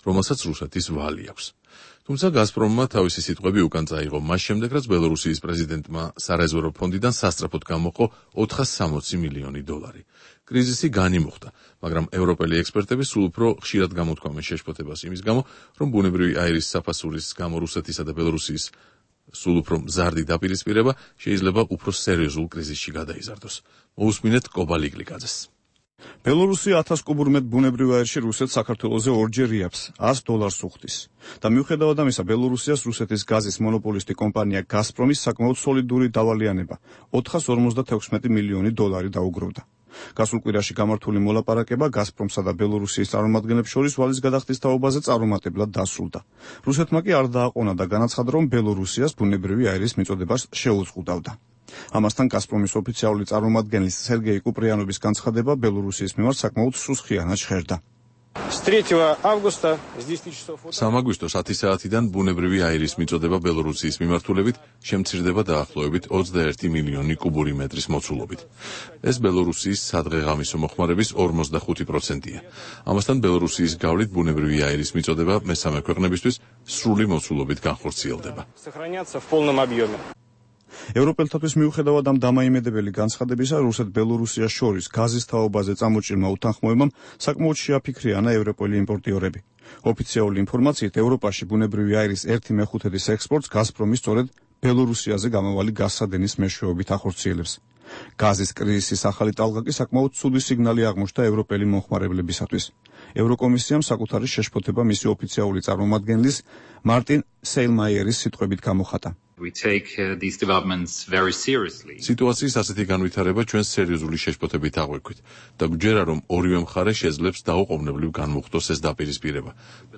რომელსაც რუსეთის ვალი აქვს. თუმცა გაზპრომმა თავისი სიტყვები უკან წაიღო მას შემდეგ, რაც ბელორუსიის პრეზიდენტმა სარეზერვო ფონდიდან სასწრაფოდ გამოყო ოთხას სამოცი მილიონი დოლარი. კრიზისი განიმუხტა, მაგრამ ევროპელი ექსპერტები სულ უფრო ხშირად გამოთქვამენ შეშფოთებას იმის გამო, რომ ბუნებრივი აირის საფასურის გამო რუსეთისა და ბელორუსიის სულ უფრო მზარდი დაპირისპირება შეიძლება უფრო სერიოზულ კრიზისში გადაიზარდოს. მოусმინეთ კობა ლიკლიკაძეს. ბელორუსია ათას კუბურ მეტ ბუნებრივ აირში რუსეთს საქართველოზე ორჯერ იაფს, ას დოლარს უხდის. და მიუხედავად ამისა, ბელორუსიას რუსეთის გაზის მონოპოლისტი კომპანია გაზპრომის საკმაოდ სოლიდური დავალიანება ოთხას ორმოცდათექვსმეტი მილიონი დოლარი დაუგროვდა. გასულ კვირაში გამართული მოლაპარაკება გაზპრომსა და ბელორუსიის წარმომადგენლებს შორის ვალის გადახდის თაობაზე წარუმატებლად დასრულდა. რუსეთმა კი არ დააყონა და განაცხადა, რომ ბელორუსიას ბუნებრივი აირის მიწოდებას შეუზღუდავდა. ამასთან გაზპრომის ოფიციალური წარმომადგენლის სერგეი კუპრიანოვის განცხადება ბელორუსიის მიმართ საკმაოდ სუსხიანად ჟღერდა. სამი აგვისტოს ათი საათიდან ბუნებრივი აირის მიწოდება ბელორუსიის მიმართულებით შემცირდება დაახლოებით ოცდაერთი მილიონი კუბური მეტრის მოცულობით. ეს ბელორუსიის სადღეღამისო მოხმარების ორმოცდახუთი პროცენტია. ამასთან ბელორუსიის გავლით ბუნებრივი აირის მიწოდება მესამე ქვეყნებისთვის სრული მოცულობით განხორციელდება. ევროპელთათვის მიუხედავად ამ დამაიმედებელი განცხადებისა, რუსეთ-ბელორუსიას შორის გაზის თაობაზე წამოჭრილმა უთანხმოებამ საკმაოდ შეაფიქრიანა ევროპელი იმპორტიორები. ოფიციალური ინფორმაციით, ევროპაში ბუნებრივი აირის ერთი მეხუთედის ექსპორტს გაზპრომი სწორედ ბელორუსიაზე გამავალი გაზსადენის მეშვეობით ახორციელებს. გაზის კრიზისის ახალი ტალღა კი საკმაოდ ცუდი სიგნალი აღმოჩნდა ევროპელი მომხმარებლებისათვის. ევროკომისიამ საკუთარი შეშფოთება მისი ოფიციალური წარმომადგენლის მარტინ სეილმაიერის სიტყვებით გამოხატა. We take uh, these developments very seriously. სიტუაციის ასეთი განვითარება ჩვენ სერიოზული შეშფოთებით აღვიქვით და გვჯერა, რომ ორივე მხარე შეძლებს დაუყოვნებლივ განმუხტოს ეს დაპირისპირება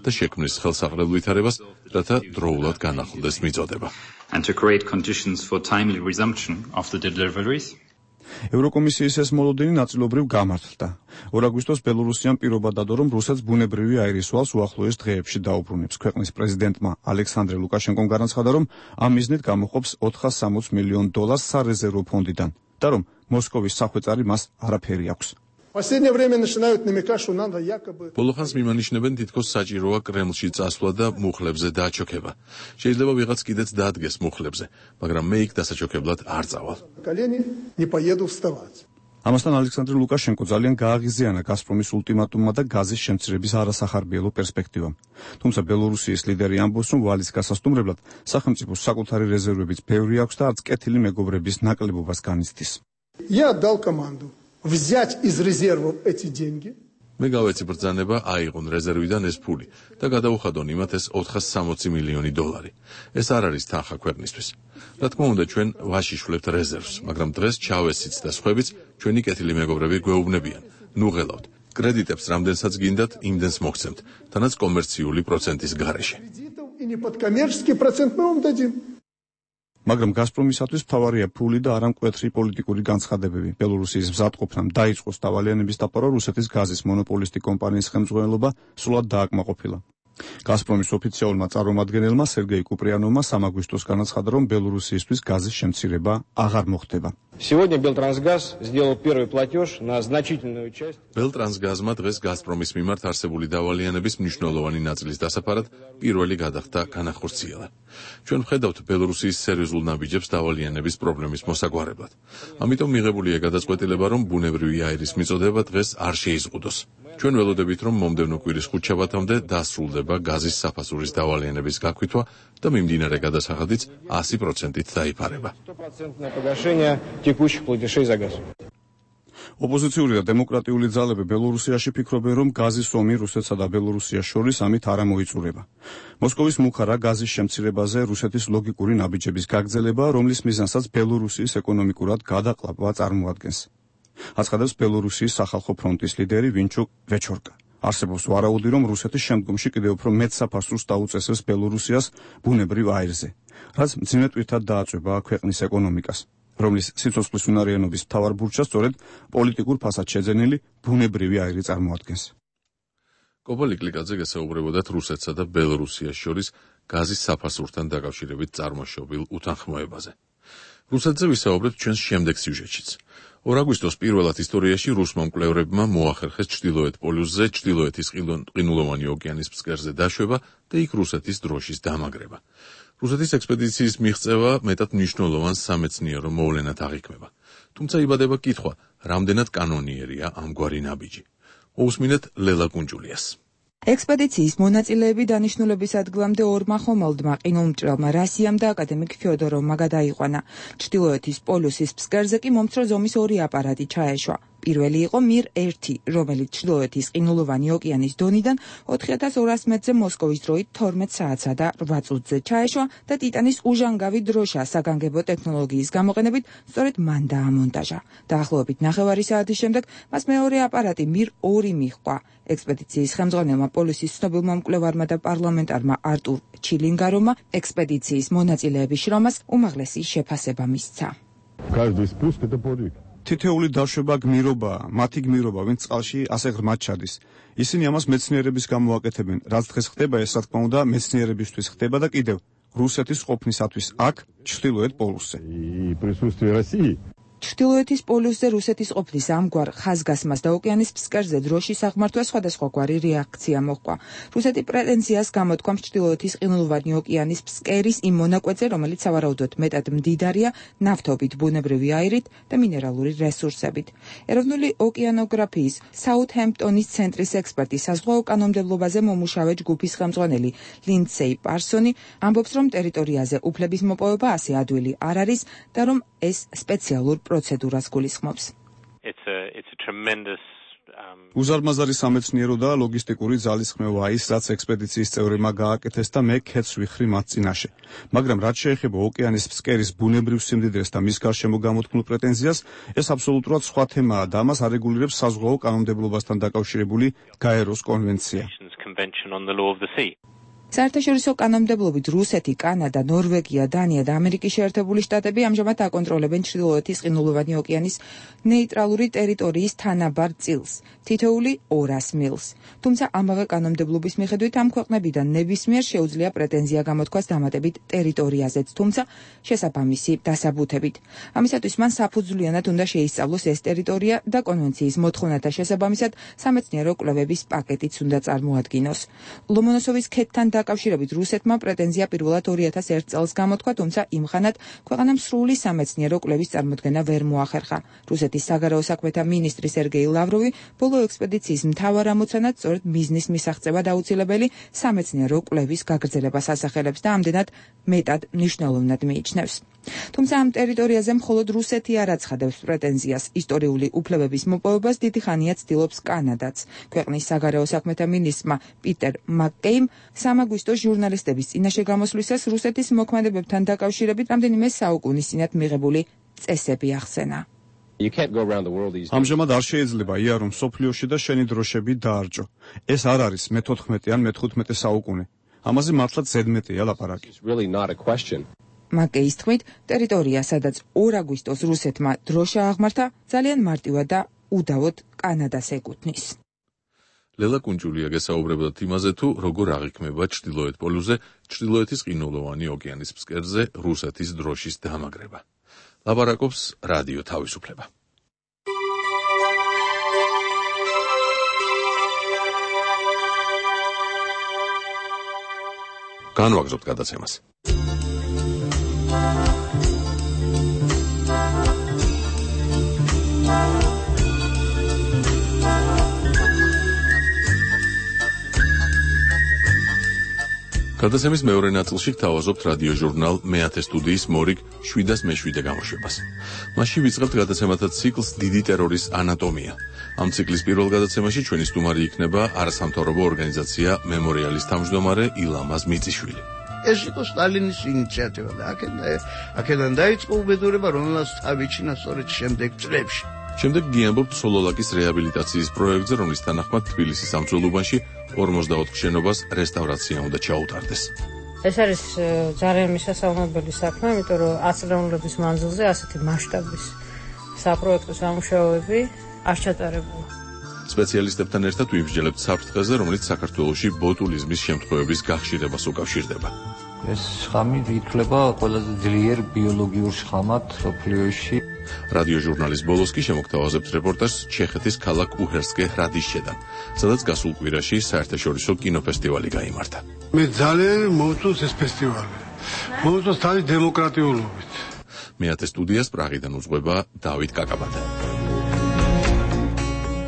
და შექმნის ხელსაყრელ ვითარებას, რათა დროულად განახლდეს მიწოდება. And to create conditions for timely resumption of the deliveries. ევროკომისიის ეს მოლოდინი ნაწილობრივ გამართლდა. ორ აგვისტოს ბელორუსიამ პირობა დადო, რომ რუსეთს ბუნებრივი აირის ვალს უახლოეს დღეებში დაუბრუნებს. ქვეყნის პრეზიდენტმა ალექსანდრე ლუკაშენკომ განაცხადა, რომ ამ მიზნით გამოყოფს ოთხას სამოცს მილიონ დოლარს სარეზერვო ფონდიდან და რომ მოსკოვის სახვეწარი მას არაფერი აქვს. ბოლოხანს მიმანიშნებენ, თითქოს საჭიროა კრემლში წასვლა და მუხლებზე დაჩოქება. შეიძლება ვიღაც კიდეც დაადგეს მუხლებზე, მაგრამ მე იქ დასაჩოქებლად არ წავალ. ამასთან ალექსანდრე ლუკაშენკო ძალიან გააღიზიანა გაზპრომის ულტიმატუმმა და გაზის შემცირების არასახარბიელო პერსპექტივამ. თუმცა ბელორუსიის ლიდერი ამბობს, რომ ვალის გასასტუმრებლად სახელმწიფოს საკუთარი რეზერვებიც ბევრი აქვს და არც კეთილი მეგობრების ნაკლებობას განიცდის. взять из резервов эти деньги. მე გავეცი ბრძანება აიღონ რეზერვიდან ეს ფული და გადაუხადონ იმათ ეს ოთხას სამოცი მილიონი დოლარი. ეს არ არის თანხა ქვეყნისთვის. რა თქმა უნდა, ჩვენ ვაშიშვლებთ რეზერვს, მაგრამ დღეს ჩავესიც და სხვაებიც ჩვენი კეთილი მეგობრები გვეუბნებიან. ნუ ღელავთ. კრედიტებს რამდენსაც გინდათ, იმდენს მოგცემთ, თანაც კომერციული პროცენტის გარეშე. И не под коммерческий процент мы вам дадим. მაგრამ გაზპრომისათვის მთავარია ფული და არა მკვეთრი პოლიტიკური განცხადებები. ბელორუსიის მზადყოფნამ დაიწყოს დავალიანების დაპყრობა რუსეთის გაზის მონოპოლისტი კომპანიის ხელმძღვანელობა სრულად დააკმაყოფილა. გაზპრომის ოფიციალურმა წარმომადგენელმა სერგეი კუპრიანოვმა სამი აგვისტოს განაცხადა, რომ ბელორუსიისთვის გაზის შემცირება აღარ მოხდება. Сегодня Белтрансгаз сделал первый платеж на значительную часть. Белтрансгазმა დღეს გაზპრომის მიმართ არსებული დავალიანების მნიშვნელოვანი ნაწილის დასაფარად პირველი გადახდა განახორციელა. ჩვენ ვხედავთ ბელორუსიის სერიოზულ ნაბიჯებს დავალიანების პრობლემის მოსაგვარებლად. ამიტომ მიღებულია გადაწყვეტილება, რომ ბუნებრივი აირის მიწოდება დღეს არ შეიზღუდოს. ჩვენ ველოდებით, რომ მომდევნო კვირის ხუთშაბათამდე დასრულდება გაზის საფასურის დავალიანების გაქვითვა და მიმდინარე გადასახადიც ასი პროცენტით დაიფარება. ოპოზიციური და დემოკრატიული ძალები ბელორუსიაში ფიქრობენ, რომ გაზის ომი რუსეთსა და ბელორუსიას შორის ამით არ მოიწურება. მოსკოვის მუხარა გაზის შემცირებაზე რუსეთის ლოგიკური ნაბიჯების გაგრძელება, რომლის მიზანსაც ბელორუსიის ეკონომიკურად გადაყლაპვა წარმოადგენს. აცხადებს ბელორუსიის სახალხო ფრონტის ლიდერი ვინჩუკ ვეჩორკა. არსებობს ვარაუდი, რომ რუსეთი შემდგომში კიდევ უფრო მეტ საფასურს დაუწესებს ბელორუსიას ბუნებრივ აირზე, რაც მძიმე ტვირთად დააწვება ქვეყნის ეკონომიკას, რომლის სიცოცხლის უნარიანობის მთავარ ბურჩას სწორედ პოლიტიკურ ფასად შეძენილი ბუნებრივი აირი წარმოადგენს. კობა ლიკლიკაძე გესაუბრებოდათ რუსეთსა და ბელორუსიას შორის გაზის საფასურთან დაკავშირებით წარმოშობილ უთანხმოებაზე. რუსეთზე ვისაუბრებთ ჩვენს შემდეგ სიუჟეტშიც. ორ აგვისტოს პირველად ისტორიაში რუსმა მკვლევრებმა მოახერხეს ჩრდილოეთ პოლუსზე ჩრდილოეთის ყინულოვანი ოკეანის ფსკერზე დაშვება და იქ რუსეთის დროშის დამაგრება. რუსეთის ექსპედიციის მიღწევა მეტად მნიშვნელოვან სამეცნიერო მოვლენად აღიქმება. თუმცა იბადება კითხვა, რამდენად კანონიერია ამგვარი ნაბიჯი. მოусმინეთ ლელა კუნჯულიას. ექსპედიციის მონაწილეები დანიშნულების ადგილამდე ორმა ხომალდმა ყინულმჭრელმა რასიამ და აკადემიკ ფიოდოროვმა გადაიყვანა. ჩრდილოეთის პოლუსის ფსკერზე კი მომცრო ზომის ორი აპარატი ჩაეშვა. პირველი იყო მირ ერთი, რომელიც ჩრდილოეთის ყინულოვანი ოკეანის დონიდან ოთხი ათას ორას მეტრზე მოსკოვის დროით თორმეტ საათსა და რვა წუთზე ჩაეშვა და ტიტანის უჟანგავი დროშა საგანგებო ტექნოლოგიის გამოყენებით სწორედ მან დაამონტაჟა. დაახლოებით ნახევარი საათის შემდეგ მას მეორე აპარატი მირ ორი მიჰყვა. ექსპედიციის ხელმძღვანელმა პოლუსის ცნობილმა მკვლევარმა და პარლამენტარმა არტურ ჩილინგაროვმა ექსპედიციის მონაწილეების შრომას უმაღლესი შეფასება მისცა. თითეული დაშვება გმირობაა, მათი გმირობა, ვინც წყალში ასე ღრმად ჩადის. ისინი ამას მეცნიერების გამო აკეთებენ. რაც დღეს ხდება, ეს რა თქმა უნდა მეცნიერებისთვის ხდება და კიდევ რუსეთის ყოფნისათვის აქ, ჩრდილოეთ პოლუსზე. ჩრდილოეთის პოლუსზე რუსეთის ყოფნის ამგვარ ხაზგასმას და ოკეანის ფსკერზე დროშის აღმართვა სხვადასხვაგვარი რეაქცია მოჰყვა. რუსეთი პრეტენზიას გამოთქვამს ჩრდილოეთის ყინულოვანი ოკეანის ფსკერის იმ მონაკვეთზე, რომელიც სავარაუდოდ მეტად მდიდარია ნავთობით, ბუნებრივი აირით და მინერალური რესურსებით. ეროვნული ოკეანოგრაფიის საუთჰემპტონის ცენტრის ექსპერტი საზღვაო კანონმდებლობაზე მომუშავე ჯგუფის ხელმძღვანელი ლინდსეი პარსონი ამბობს, რომ ტერიტორიაზე უფლების მოპოვება ასე ადვილი არ არის და რომ ეს სპეციალურ პროცედურას გულისხმობს. უზარმაზარი სამეცნიერო და ლოგისტიკური ძალისხმევაა ის, რაც ექსპედიციის წევრებმა გააკეთეს და მე ქეთს ვიხრი მათ წინაშე. მაგრამ რაც შეეხება ოკეანის ფსკერის ბუნებრივ სიმდიდრეს და მის გარშემო გამოთქმულ პრეტენზიას, ეს აბსოლუტურად სხვა თემაა და ამას არეგულირებს საზღვაო კანონმდებლობასთან დაკავშირებული გაეროს კონვენცია. საერთაშორისო კანონმდებლობით რუსეთი, კანადა, ნორვეგია, დანია და ამერიკის შეერთებული შტატები ამჟამად აკონტროლებენ ჩრდილოეთის ყინულოვანი ოკეანის ნეიტრალური ტერიტორიის თანაბარ წილს, თითოეული ორას მილს. თუმცა ამავე კანონმდებლობის მიხედვით ამ ქვეყნებიდან ნებისმიერ შეუძლია პრეტენზია გამოთქვას დამატებით ტერიტორიაზეც, თუმცა შესაბამისი დასაბუთებით. ამისათვის მან საფუძვლიანად უნდა შეისწავლოს ეს ტერიტორია და კონვენციის მოთხოვნათა შესაბამისად სამეცნიერო კვლევების პაკეტიც უნდა წარმოადგინოს. ლომონოსოვის ქედთან დაკავშირებით რუსეთმა პრეტენზია პირველად ორი ათას ერთ წელს გამოთქვა, თუმცა იმხანად ქვეყანამ სრული სამეცნიერო კვლევის წარმოქმნა ვერ მოახერხა. რუსეთის საგარეო საქმეთა მინისტრი სერგეი ლავროვი ბოლო ექსპედიციის მთავარ ამოცანად სწორედ მიზნის მისაღწევა დაუცილებელი სამეცნიერო კვლევის გაგრძელებას ასახელებს და ამდენად მეტად მნიშვნელოვნად მიიჩნევს. თუმცა ამ ტერიტორიაზე მხოლოდ რუსეთი არ აცხადებს პრეტენზიას. ისტორიული უფლებების მოპოვებას დიდი ხანია ცდილობს კანადაც. ქვეყნის საგარეო საქმეთა მინისტრმა პიტერ მაკკეიმ სამ აგვისტოს ჟურნალისტების წინაშე გამოსვლისას რუსეთის მოქმედებებთან დაკავშირებით რამდენიმე საუკუნის წინათ მიღებული წესები ახსენა. ამჟამად არ შეიძლება იარო მსოფლიოში და შენი დროშები დაარჭო. ეს არ არის მეთოთხმეტე ან მეთხუთმეტე საუკუნე. ამაზე მართლაც ზედმეტია ლაპარაკი. მაკეის თქმით, ტერიტორია, სადაც ორ აგვისტოს რუსეთმა დროშა აღმართა, ძალიან მარტივად და უდავოდ კანადას ეკუთვნის. ლელა კუნჯულია გესაუბრებოდა იმაზე, თუ როგორ აღიქმება ჩრდილოეთ პოლუსზე ჩრდილოეთის ყინულოვანი ოკეანის ფსკერზე რუსეთის დროშის დამაგრება. ლაპარაკობს რადიო თავისუფლება. განვაგრძობთ გადაცემას. გადაცემის მეორე ნაწილში გთავაზობთ რადიო ჟურნალ მეათე სტუდიის მორიგ შვიდას მეშვიდე გამოშვებას. მასში ვიწყებთ გადაცემათა ციკლს დიდი ტერორის ანატომია. ამ ციკლის პირველ გადაცემაში ჩვენი სტუმარი იქნება არასამთავრობო ორგანიზაცია მემორიალის თავმჯდომარე ილამაზ მიწიშვილი. ეს იყო სტალინის ინიციატივა და აქედან დაიწყო უბედურება, რომელსაც თავიჩინა სწორედ შემდეგ წლებში. შემდეგ გიამბობთ სოლოლაკის რეაბილიტაციის პროექტზე, რომლის თანახმად თბილისის სამწველუბანში ორმოცდაოთხ შენობას რესტავრაცია უნდა ჩაუტარდეს. ეს არის ძალიან მისასალმებელი საქმე, იმიტომ რომ ათწლეულების მანძილზე ასეთი მასშტაბის საპროექტო სამუშაოები არ ჩატარებულა. სპეციალისტებთან ერთად ვიბრძოლებთ საფრთხეზე, რომელიც საქართველოში ბოტულიზმის შემთხვევების გახშირებას უკავშირდება. ეს შხამი ითვლება ყველაზე ძლიერ ბიოლოგიურ შხამად მსოფლიოში. რადიოჟურნალის ბოლოს კი შემოგთავაზებთ რეპორტაჟს ჩეხეთის ქალაქ უჰერსკე ჰრადიშჩედან, სადაც გასულ კვირაში საერთაშორისო კინოფესტივალი გაიმართა. მე ძალიან მოვწონს ეს ფესტივალი. მოვწონს თავის დემოკრატიულობით. მეათე სტუდიას პრაღიდან უძღვება დავით კაკაბადა.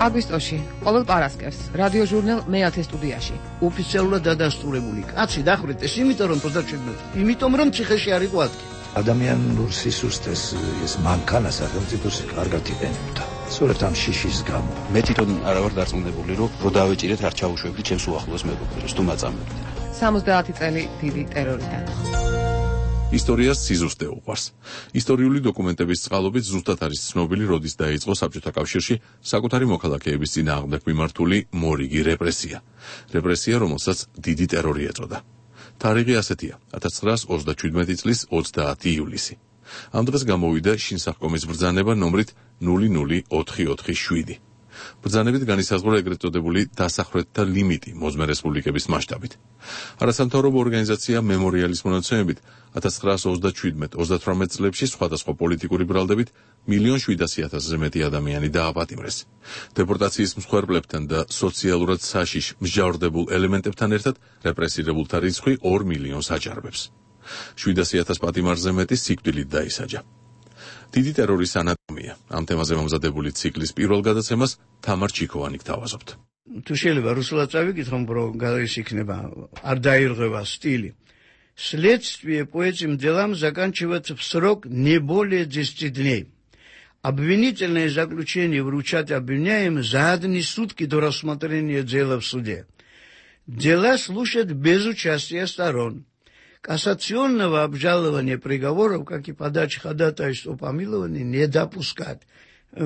აგვისტოში, ყოველ პარასკევს, რადიოჟურნალ მეათე სტუდიაში. ოფიციალურად დადასტურებული კაცი დახვრიტეს, იმიტომ რომ ოცდაშვიდმეტი, იმიტომ რომ ციხეში არ იყო ადგილი. ადამიანურ სისუსტეს ეს მანქანა სახელმწიფოს კარგად იყენებდა. სწორედ ამ შიშის გამო. მე თვითონ არა ვარ დარწმუნებული, რომ რო დავეჭირეთ არ ჩავუშვებდით ჩემს უახლოეს მეგობრებს, თუ მაწამებთ. სამოცდაათი წელი დიდი ტერორიდან. ისტორიას სიზუსტე უყვარს. ისტორიული დოკუმენტების წყალობით ზუსტად არის ცნობილი, როდის დაიწყო საბჭოთა კავშირში საკუთარი მოქალაქეების წინააღმდეგ მიმართული მორიგი რეპრესია. რეპრესია, რომელსაც დიდი ტერორი ეწოდა. თარიღი ასეთია: ათას ცხრაას ოცდაშვიდმეტი წლის ოცდაათი ივლისი. ამ დღეს გამოვიდა შინსახკომის ბრძანება ნომრით ნული ნული ოთხი ოთხი შვიდი. ბრძანებით განისაზღვრა ეგრეთ წოდებული დასახვრეტთა ლიმიტი მოზმე რესპუბლიკების მასშტაბით. არასამთავრობო ორგანიზაცია მემორიალის მონაცემებით ათას ცხრაას ოცდაშვიდმეტ ოცდათვრამეტ წლებში სხვადასხვა პოლიტიკური ბრალდებით მილიონ შვიდასი ათასზე მეტი ადამიანი დააპატიმრეს. დეპორტაციის მსხვერპლებთან და სოციალურად საშიშ მსჯავრდებულ ელემენტებთან ერთად რეპრესირებულთა რიცხვი ორ მილიონს აჭარბებს. შვიდასი ათას პატიმარზე მეტი სიკვდილით დაისაჯა. დიდი ტერორის ანატომია. ამ თემაზე მომზადებული ციკლის პირველ გადაცემას თამარ ჩიქოვანი გთავაზობთ. თუ შეიძლება რუსულად წავიკითხო, რომ გარის იქნება არ დაირღვევა стили. Следствие по этим делам заканчивается в срок не более десяти дней. Обвинительное заключение вручать обвиняемым за одни сутки до рассмотрения дела в суде. Дела слушают без участия сторон. Кассационного обжалования приговоров, как и подачи ходатайства о помиловании, не допускать.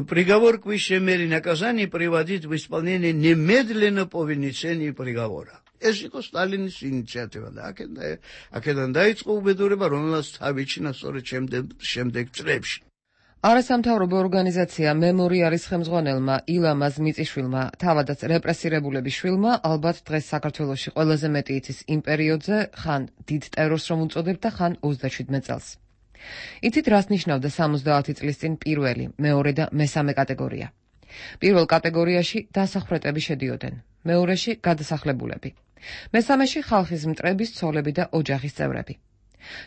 Приговор к высшей мере наказания приводить в исполнение немедленно по вынесении приговора. ეს იყო სტალინის ინიციატივა და აქედან დაიწყო უბედურება, რომელსაც თავიჩინა სწორედ შემდეგ წლებში. არასამთავრობო ორგანიზაცია მემორიალის ხელმძღვანელმა ილამაზ მიწიშვილმა, თავადაც რეპრესირებულების შვილმა, ალბათ დღეს საქართველოში ყველაზე მეტი იცის იმ პერიოდზე, ხან დიდ ტერორს რომ უწოდებდა და ხან ოცდაშვიდმეტ წელს. იცით, რას ნიშნავდა სამოცდაათი წლის წინ პირველი, მეორე და მესამე კატეგორია. პირველ კატეგორიაში დასახვრეტები შედიოდნენ, მეორეში გადასახლებულები. მესამეში ხალხის მტრების, ცოლები და ოჯახის წევრები.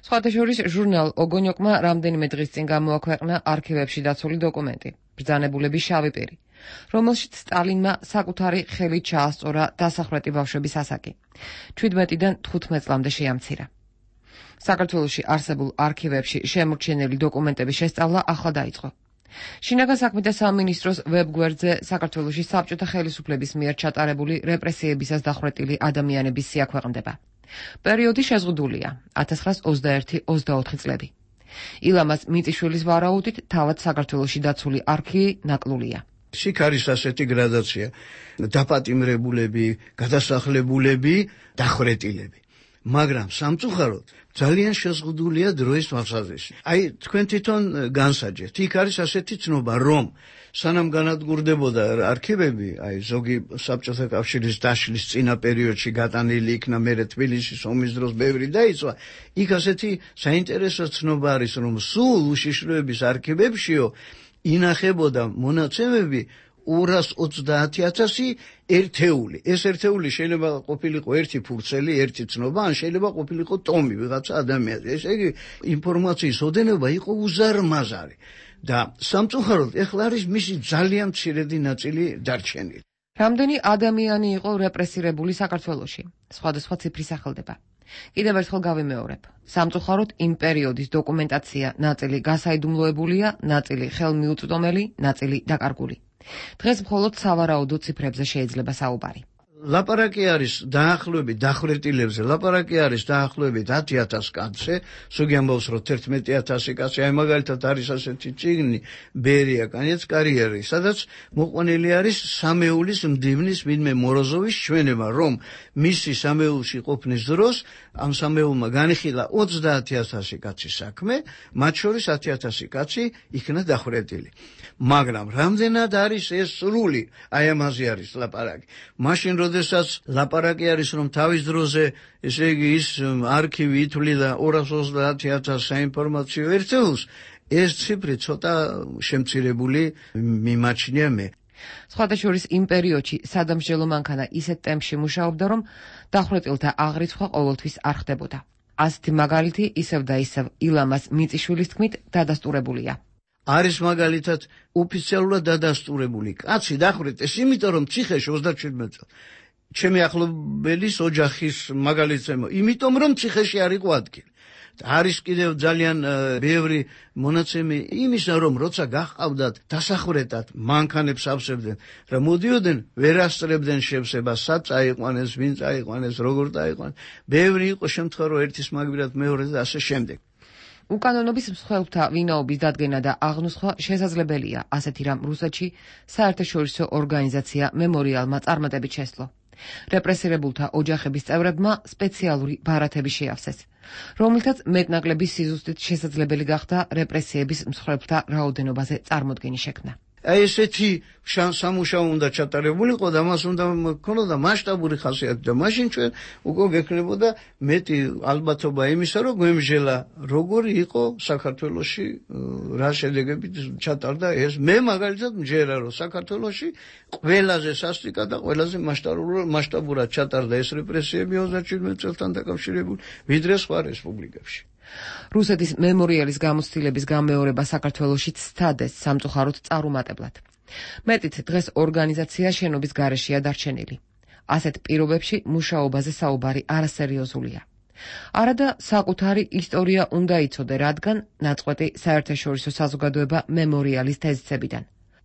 სხვათა შორის ჟურნალ ოგონიოკმა რამდენიმე დღის წინ გამოაქვეყნა არქივებში დაცული დოკუმენტი, ბრძანებულების შავი პირი, რომელშიც სტალინმა საკუთარი ხელით ჩაასწორა დასახვრეტი ბავშვების ასაკი. ჩვიდმეტიდან თხუთმეტ წლამდე შეამცირა. საქართველოში არსებულ არქივებში შემორჩენილი დოკუმენტების შესწავლა ახლა დაიწყო. შინაგან საქმეთა სამინისტროს ვებგვერდზე საქართველოში საბჭოთა ხელისუფლების მიერ ჩატარებული რეპრესიებისას დახვრეტილი ადამიანების სია ქვეყნდება. პერიოდი შეზღუდულია ათას ცხრაას ოცდაერთი ოცდაოთხი წლები. ილამაზ მიწიშვილის ვარაუდით თავად საქართველოში დაცული არქივი ნაკლულია. იქ არის ასეთი გრადაცია: დაპატიმრებულები, გადასახლებულები, დახვრეტილები. მაგრამ სამწუხაროდ ძალიან შეზღუდულია დროის თვალსაზრისით. აი, თქვენ თვითონ განსაჯეთ. იქ არის ასეთი ცნობა, რომ სანამ განადგურდებოდა არქივები, აი, ზოგი საბჭოთა კავშირის დაშლის წინა პერიოდში გატანილი იქნა, მერე თბილისის ომის დროს ბევრი დაიცვა. იქ ასეთი საინტერესო ცნობა არის, რომ სულ უშიშროების არქივებშიო ინახებოდა მონაცემები ორას ოცდაათი ათასი ერთეული. ეს ერთეული შეიძლება ყოფილიყო ერთი ფურცელი, ერთი ცნობა, ან შეიძლება ყოფილიყო ტომი ვიღაცა ადამიანზე. ესე იგი, ინფორმაციის ოდენობა იყო უზარმაზარი. და სამწუხაროდ ეხლა არის მისი ძალიან მცირედი ნაწილი დარჩენილი. რამდენი ადამიანი იყო რეპრესირებული საქართველოში? სხვადასხვა ციფრი სახელდება. კიდევ ერთხელ გავიმეორებ. სამწუხაროდ იმ პერიოდის დოკუმენტაცია ნაწილი გასაიდუმლოებულია, ნაწილი ხელმიუწვდომელი, ნაწილი დაკარგული. დღეს მხოლოდ სავარაუდო ციფრებზე შეიძლება საუბარი. ლაპარაკი არის დაახლოებით დახვრეტილებზე, ლაპარაკი არის დაახლოებით ათი ათას კაცზე, ზოგი ამბობს რომ თერთმეტი ათასი კაცი, აი მაგალითად არის ასეთი წიგნი ბერია კანიец კარიერი, სადაც მოყვანილი არის სამეულის მდივნის ვინმე მოროზოვის ჩვენება, რომ მისი სამეულში ყოფნის დროს ამ სამეულმა განიხილა ოცდაათი ათასი კაცის საქმე, მათ შორის ათი ათასი კაცი იქნა დახვრეტილი. მაგრამ რამდენად არის ეს სრული, აი ამაზე არის ლაპარაკი. მაშინ როდესაც ლაპარაკი არის რომ თავის დროზე, ესე იგი ის არქივი ითვლიდა ორას ოცდაათი ათას საინფორმაციო ერთეულს, ეს ციფრი ცოტა შემცირებული მიმაჩნია მე. სხვათა შორის იმ პერიოდში სადამსჯელო მანქანა ისეთ ტემპში მუშაობდა, რომ დახვრეტილთა აღრიცხვა ყოველთვის არ ხდებოდა. ასეთი მაგალითი ისევ და ისევ ილამას მიწიშვილის თქმით დადასტურებულია. არის მაგალითად ოფიციალურად დადასტურებული. კაცი დახვრეტეს, იმიტომ რომ ციხეში ოცდაჩვიდმეტ წელს ჩემი ახლობელის ოჯახის მაგალითზე, იმიტომ რომ ციხეში არ იყო ადგილი. არის კიდევ ძალიან ბევრი მონაცემი იმისა, რომ როცა გაჰყავდათ დასახვრეტად მანქანებს ავსებდნენ, რა მოდიოდნენ ვერ ასწრებდნენ შევსებას, სად წაიყვანეს, ვინ წაიყვანეს, როგორ წაიყვანეს. ბევრი იყო შემთხვევა, რომ ერთის მაგბირად მეორეს და ასე შემდეგ. უკანონობის მსხვერპლთა ვინაობის დადგენა და აღნუსხვა შესაძლებელია, ასეთი რამ რუსეთში საერთაშორისო ორგანიზაცია მემორიალმა წარმატებით შესძლო. რეპრესირებულთა ოჯახების წევრებმა სპეციალური ბარათები შეავსეს, რომლითაც მეტნაკლები სიზუსტით შესაძლებელი გახდა რეპრესიების მსხვერპლთა რაოდენობაზე წარმოდგენი შექმნა. აი ესეთი სამუშაო უნდა ჩატარებულიყო და მას უნდა ქონოდა მასშტაბური ხასიათი და მაშინ ჩვენ უკვე გექნებოდა მეტი ალბათობა იმისა, რომ გვემჟელა როგორი იყო საქართველოში რა შედეგებით ჩატარდა ეს. მე მაგალითად მჯერა, რომ საქართველოში ყველაზე სასტიკად და ყველაზე მასშტაბურად ჩატარდა ეს რეპრესიები ოცდაჩვიდმეტ წელთან დაკავშირებული, ვიდრე სხვა რესპუბლიკებში. რუსეთის მემორიალის გამოცდილების გამეორება საქართველოშიც სცადეს სამწუხაროდ წარუმატებლად. მეტით დღეს ორგანიზაცია შენობის გარეშეა დარჩენილი. ასეთ პირობებში მუშაობაზე საუბარი არასერიოზულია. არადა საკუთარი ისტორია უნდა იცოდე, რადგან ნაწყვეტი საერთაშორისო საზოგადოება მემორიალის თეზისებიდან.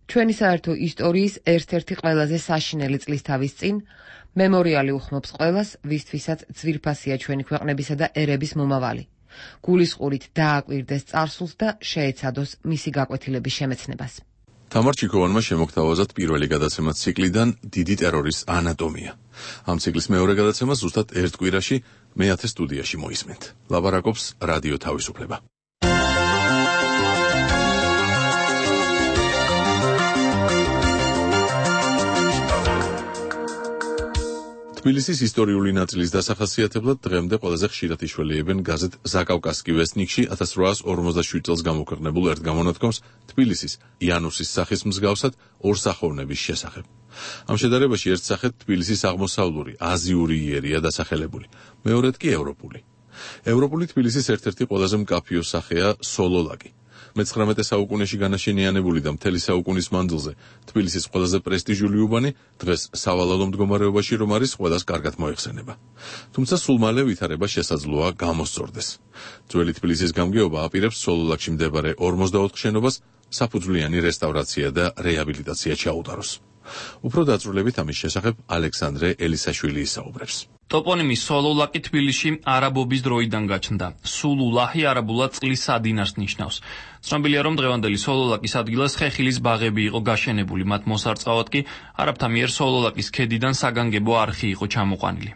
ჩვენი საერთო ისტორიის ერთ-ერთი ყველაზე საშინელი წლისთავის წინ მემორიალი უხმობს ყველას, ვისთვისაც ძვირფასია ჩვენი ქვეყნებისა და ერების მომავალი. გულისყურით დააკვირდეს წარსულს და შეეცადოს მისი გაკვეთილების შემეცნებას. თამარ ჩიქოვანმა შემოგთავაზა პირველი გადაცემა ციკლიდან დიდი ტერორის ანატომია. ამ ციკლის მეორე გადაცემა ზუსტად ერთ კვირაში მეათე სტუდიაში მოისმენთ. ლაპარაკობს რადიო თავისუფლება. თბილისის ისტორიული ნაწილის დასახასიათებლად დღემდე ყველაზე ხშირად იშველიებენ გაზეთ ზაკავკასკი ვესნიკში ათას რვაას ორმოცდაშვიდ წელს გამოქვეყნებულ ერთ გამონათქვამს თბილისის იანუსის სახის მსგავსად ორ სახოვნების შესახებ. ამ შედარებაში ერთ სახედ თბილისის აღმოსავლური აზიური იერია დასახელებული, მეორედ კი ევროპული. ევროპული თბილისის ერთ-ერთი ყველაზე მკაფიო სახეა სოლოლაკი. მეცხრამეტე საუკუნეში განაშენიანებული და მთელი საუკუნის მანძილზე თბილისის ყველაზე პრესტიჟული უბანი დღეს სავალალო მდგომარეობაში რომ არის, ყველას კარგად მოეხსენება. თუმცა სულ მალე ვითარება შესაძლოა გამოსწორდეს. ძველი თბილისის გამგეობა აპირებს სოლოლაკში მდებარე ორმოცდაოთხ შენობას საფუძვლიანი რესტავრაცია და რეაბილიტაცია ჩაუტაროს. უფრო დაწვრილებით ამის შესახებ ალექსანდრე ელისაშვილი ისაუბრებს. ტოპონიმი სოლოლაკი თბილისში არაბობის დროიდან გაჩნდა. სულულაჰი არაბულად წყლის სადინარს ნიშნავს. ცნობილია, რომ დღევანდელი სოლოლაკის ადგილას ხეხილის ბაღები იყო გაშენებული, მათ მოსარწყავად კი არაბთა მიერ სოლოლაკის ქედიდან საგანგებო არხი იყო ჩამოყვანილი.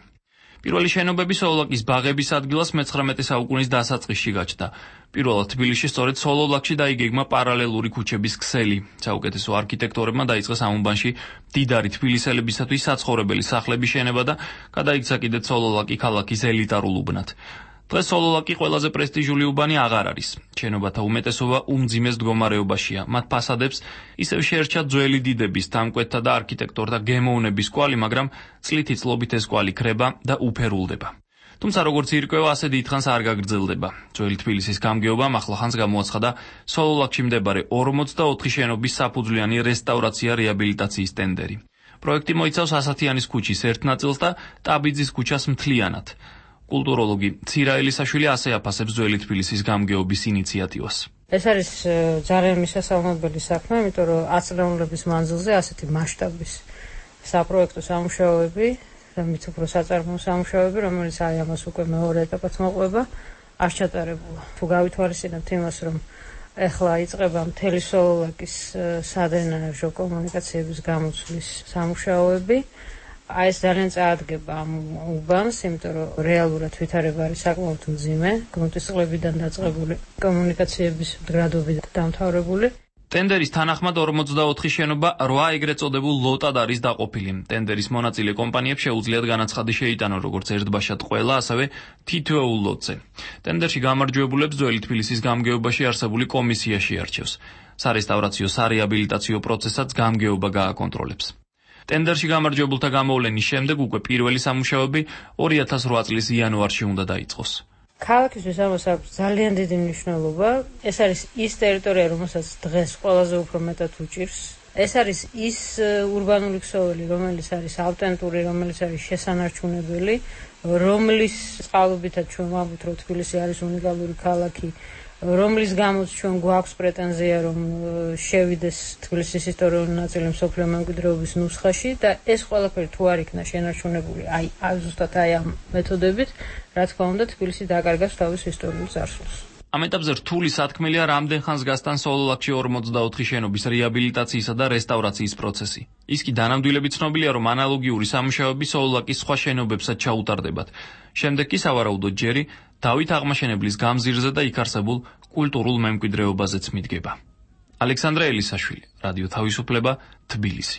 პირველი შენობები სოლოლაკის ბაღების ადგილას მეცხრამეტე საუკუნის დასაწყისში გაჩნდა. პირველად თბილისში სწორედ სოლოლაკში დაიგეგმა პარალელური ქუჩების ქსელი. საუკეთესო არქიტექტორებმა დაიწყეს ამ უბანში მდიდარი თბილისელებისათვის საცხოვრებელი სახლების შენება და გადაიქცა კიდეც სოლოლაკი ქალაქის ელიტარულ უბნად. დღეს სოლოლაკი ყველაზე პრესტიჟული უბანი აღარ არის. შენობათა უმეტესობა უმძიმეს მდგომარეობაშია. მათ ფასადებს ისევ შეერჩა ძველი დიდების, დამკვეთთა და არქიტექტორთა გემოვნების კვალი, მაგრამ წლითი წლობით ეს კვალი ქრება და უფერულდება. თუმცა როგორც ირკვევა, ასე დიდხანს არ გაგრძელდება. ძველი თბილისის გამგეობამ ახლახანს გამოაცხადა სოლოლაკში მდებარე ორმოცდაოთხი შენობის საფუძვლიანი რესტავრაცია რეაბილიტაციის ტენდერი. პროექტი მოიცავს ასათიანის ქუჩის ერთ ნაწილს და ტაბიძის ქუჩას მთლიანად. კულტუროლოგი ცირა ელისაშვილი ასე აფასებს ძველი თბილისის გამგეობის ინიციატივას. ეს არის ძალიან მისასალმებელი საქმე, იმიტომ რომ ათწლეულების მანძილზე ასეთი მასშტაბის საპროექტო სამუშაოები და მით უფრო საწარმოო სამუშაოები, რომელიც აი ამას უკვე მეორე ეტაპად მოყვება, არ ჩატარებულა. თუ გავითვალისწინებთ იმას, რომ ეხლა იწყება მთელი სოლოლაკის სადრენაჟო კომუნიკაციების გამოცვლის სამუშაოები, აი ეს ძალიან წაადგება ამ უბანს, იმიტომ რომ რეალურად ვითარება არის საკმაოდ მძიმე, გრუნტის წყლებიდან დაწყებული კომუნიკაციების მდგრადობით დამთავრებული. ტენდერის თანახმად ორმოცდაოთხი შენობა რვა ეგრეთ წოდებულ ლოტად არის დაყოფილი. ტენდერის მონაწილე კომპანიებს შეუძლიათ განაცხადი შეიტანონ როგორც ერთბაშად ყველა, ასევე თითოეულ ლოტზე. ტენდერში გამარჯვებულებს ძველი თბილისის გამგეობაში არსებული კომისია შეარჩევს. სარესტავრაციო სარეაბილიტაციო პროცესაც გამგეობა გააკონტროლებს. ტენდერში გამარჯვებულთა გამოვლენის შემდეგ უკვე პირველი სამუშაოები ორი ათას რვა წლის იანვარში უნდა დაიწყოს. ქალაქისთვის ამას აქვს ძალიან დიდი მნიშვნელობა. ეს არის ის ტერიტორია, რომელსაც დღეს ყველაზე უფრო მეტად უჭირს. ეს არის ის ურბანული ქსოვილი, რომელიც არის ავტენტური, რომელიც არის შესანარჩუნებელი, რომლის წყალობითაც ჩვენ ვამბობთ, რომ თბილისი არის უნიკალური ქალაქი, რომლის გამოც ჩვენ გვაქვს პრეტენზია, რომ შევიდეს თბილისის ისტორიული ნაწილი მსოფლიო მემკვიდრეობის ნუსხაში და ეს ყველაფერი თუ არ იქნა შენარჩუნებული, აი, ზუსტად აი ამ მეთოდებით, რა თქმა უნდა, თბილისი დაკარგავს თავის ისტორიულ წარსულს. ამ ეტაპზე რთული სათქმელია რამდენ ხანს გასტან სოლოლაკში ორმოცდაოთხი შენობის რეაბილიტაციისა და რესტავრაციის პროცესი. ის კი დანამდვილებით ცნობილია, რომ ანალოგიური სამუშაოები სოლოლაკის სხვა შენობებსაც ჩაუტარდებათ. შემდეგ კი სავარაუდოდ ჯერი დავით აღმაშენებლის გამზირზე და იქ არსებულ კულტურულ მემკვიდრეობაზეც მიდგება. ალექსანდრე ელისაშვილი, რადიო თავისუფლება, თბილისი.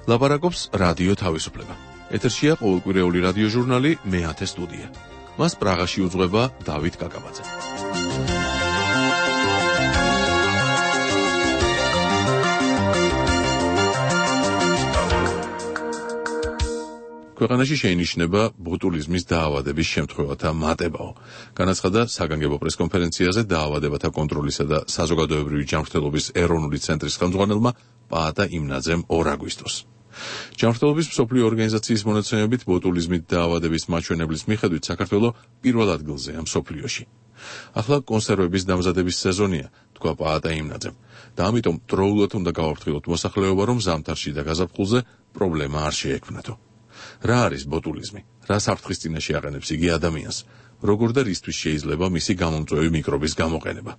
ლაპარაკობს რადიო თავისუფლება. ეთერშია ყოველკვირეული რადიო ჟურნალი მეათე სტუდია. მას პრაღაში უძღვება დავით კაკაბაძე. ქვეყანაში შეინიშნება ბოტულიზმის დაავადების შემთხვევათა მატებაო. განაცხადა საგანგებო პრესკონფერენციაზე დაავადებათა კონტროლისა და საზოგადოებრივი ჯანმრთელობის ეროვნული ცენტრის ხელმძღვანელმა პაატა იმნაძემ ორ აგვისტოს. ჯანმრთელობის მსოფლიო ორგანიზაციის მონაცემებით ბოტულიზმით დაავადების მაჩვენებლის მიხედვით საქართველო პირველ ადგილზეა მსოფლიოში. ახლა კონსერვების დამზადების სეზონია, თქვა პაატა იმნაძემ, და ამიტომ დროულად უნდა გავაფრთხილოთ მოსახლეობა, რომ ზამთარში და გაზაფხულზე პრობლემა არ შეექმნათო. რა არის ბოტულიზმი? რა საფრთხის წინაშე აყენებს იგი ადამიანს? როგორ და რისთვის შეიძლება მისი გამომწვევი მიკრობის გამოყენება?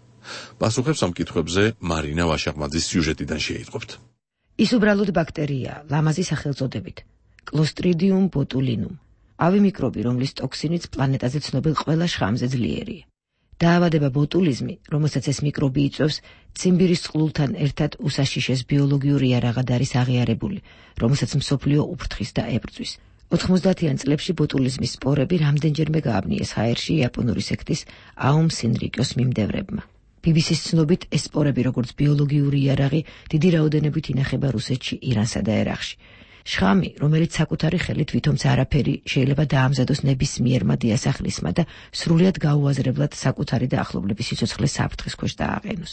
პასუხებს ამ კითხვებზე მარინა ვაშაყმაძის სიუჟეტიდან შეიტყობთ. ის უბრალოდ ბაქტერიაა, ლამაზი სახელწოდებით. Clostridium botulinum. ავი მიკრობი, რომლის ტოქსინიც პლანეტაზე ცნობილ ყველა შხამზე ძლიერია. დაავადება ბოტულიზმი, რომელსაც ეს მიკრობი იწვევს, ციმბირის წყლულთან ერთად უსაშიშეს ბიოლოგიური იარაღად არის აღიარებული, რომელსაც მსოფლიო უფრთხის და ებრძვის. ოთხმოცდაათიან წლებში ბოტულიზმის სპორები რამდენჯერმე გააბნიეს ჰაერში იაპონური სექტის აუმ სინრიკოს მიმდევრებმა. ბი ბი სის ცნობით, ეს სპორები, როგორც ბიოლოგიური იარაღი, დიდი რაოდენობით ინახება რუსეთში, ირანსა და ერაყში. შხამი, რომელიც საკუთარი ხელით ვითომც არაფერი შეიძლება დაამზადოს ნებისმიერმა დიასახლისმა და სრულად გაუაზრებლად საკუთარი და ახლობლების სიცოცხლეს საფრთხის ქვეშ დააყენოს.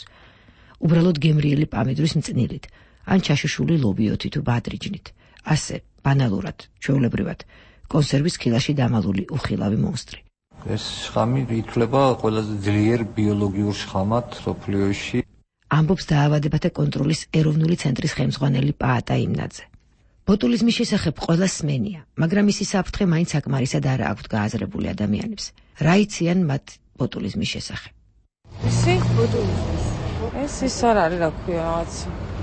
უბრალოდ გემრიელი პამიდრის მწნილით, ან ჩაშუშული ლობიოთი თუ ბადრიჯნით. ასე, ბანალურად, ჩვეულებრივად, კონსერვის ქილაში დამალული უხილავი მონსტრი. ეს შხამი ითვლება ყველაზე ძლიერ ბიოლოგიურ შხამად მსოფლიოში. ამბობს დაავადებათა კონტროლის ეროვნული ცენტრის ხელმძღვანელი პაატა იმნაძე. ბოტულიზმის შესახებ ყველა სმენია, მაგრამ მისი საფრთხე მაინც საკმარისად არ აქვთ გააზრებული ადამიანებს. რა იციან მათ ბოტულიზმის შესახებ? ისი ბოტულიზმის. ეს ის არ არის, რა ქვია, რაღაც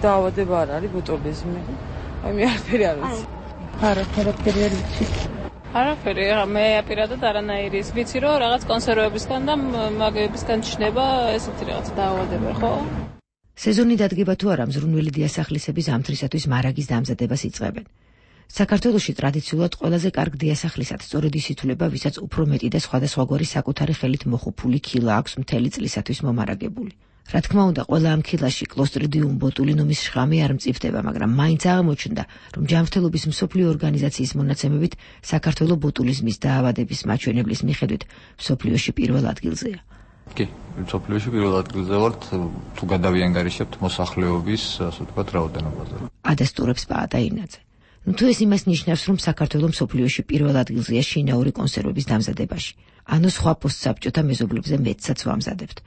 დაავადება არ არის ბოტულიზმი. აი მე არაფერი არ ვიცი. არაფერი არ ვიცი. არაფერი, მე აპირადად არანაირი ის ვიცი, რომ რაღაც კონსერვებისგან და მაგებისგან ჩნდება ესეთი რაღაც დაავადება, ხო? სეზონი დადგება თუ არა, მზრუნველი დიასახლისები ზამთრისათვის მარაგის დამზადებას იწყებენ. საქართველოში ტრადიციულად ყველაზე კარგ დიასახლისად სწორედ ის ითვლება, ვისაც უფრო მეტი და სხვადასხვაგვარი საკუთარი ხელით მოხუპული ქილა აქვს მთელი წლისათვის მომარაგებული. რა თქმა უნდა, ყველა ამ ქილაში Clostridium botulinum-ის შხამი არ მწიფდება, მაგრამ მაინც აღმოჩნდა, რომ ჯანმრთელობის მსოფლიო ორგანიზაციის მონაცემებით საქართველო ბოტულიზმის დაავადების მაჩვენებლის მიხედვით მსოფლიოში პირველ ადგილზეა. კი, მსოფლიოში პირველ ადგილზე ვართ, თუ გადავიანგარიშებთ მოსახლეობის, ასე ვთქვათ, რაოდენობაზე. ადასტურებს პაატა იმნაძე. ნუ თუ ეს იმას ნიშნავს, რომ საქართველო მსოფლიოში პირველ ადგილზეა შინაური კონსერვების დამზადებაში, ანუ სხვა პოსტსაბჭოთა მეზობლებზე მეტსაც ვამზადებთ.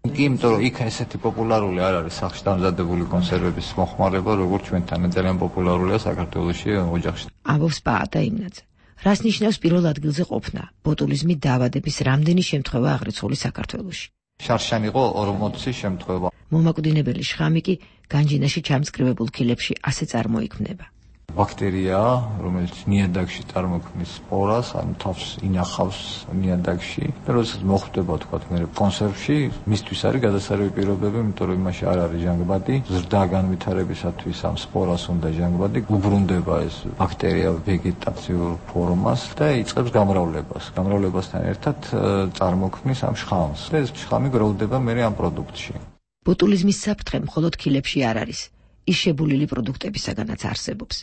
კი, იმიტომ რომ იქ ესეთი პოპულარული არ არის სახში დამზადებული კონსერვების მოხმარება, როგორც ჩვენთან ძალიან პოპულარულია საქართველოში ოჯახში. ამბობს პაატა იმნაძე. რას ნიშნავს პირველ ადგილზე ყოფნა? ბოტულიზმით დაავადების რამდენი შემთხვევა აღრიცხული საქართველოში? შარშან იყო ორმოცი შემთხვევა. მომაკვდინებელი შხამი კი განჯინაში ჩამწკრივებულ ქილებში ასე წარმოიქმნება. ბაქტერიაა, რომელიც ნიადაგში წარმოქმნის სპორას, ანუ თავს ინახავს ნიადაგში. და როდესაც მოხვდება თქვა მე კონსერვში, მისთვის არის გადასარევი პირობები, იმიტომ რომ იმაში არ არის ჟანგბადი, ზრდა განვითარებისათვის ამ სპორას უნდა ჟანგბადი, უბრუნდება ეს ბაქტერია ვეგეტაციურ ფორმას და იწყებს გამრავლებას. გამრავლებასთან ერთად წარმოქმნის ამ შხამს. და ეს შხამი გროვდება მე ამ პროდუქტში. ბოტულიზმის საფრთხე მხოლოდ ქილებში არ არის, ის შებულილი პროდუქტებისაგანაც არსებობს.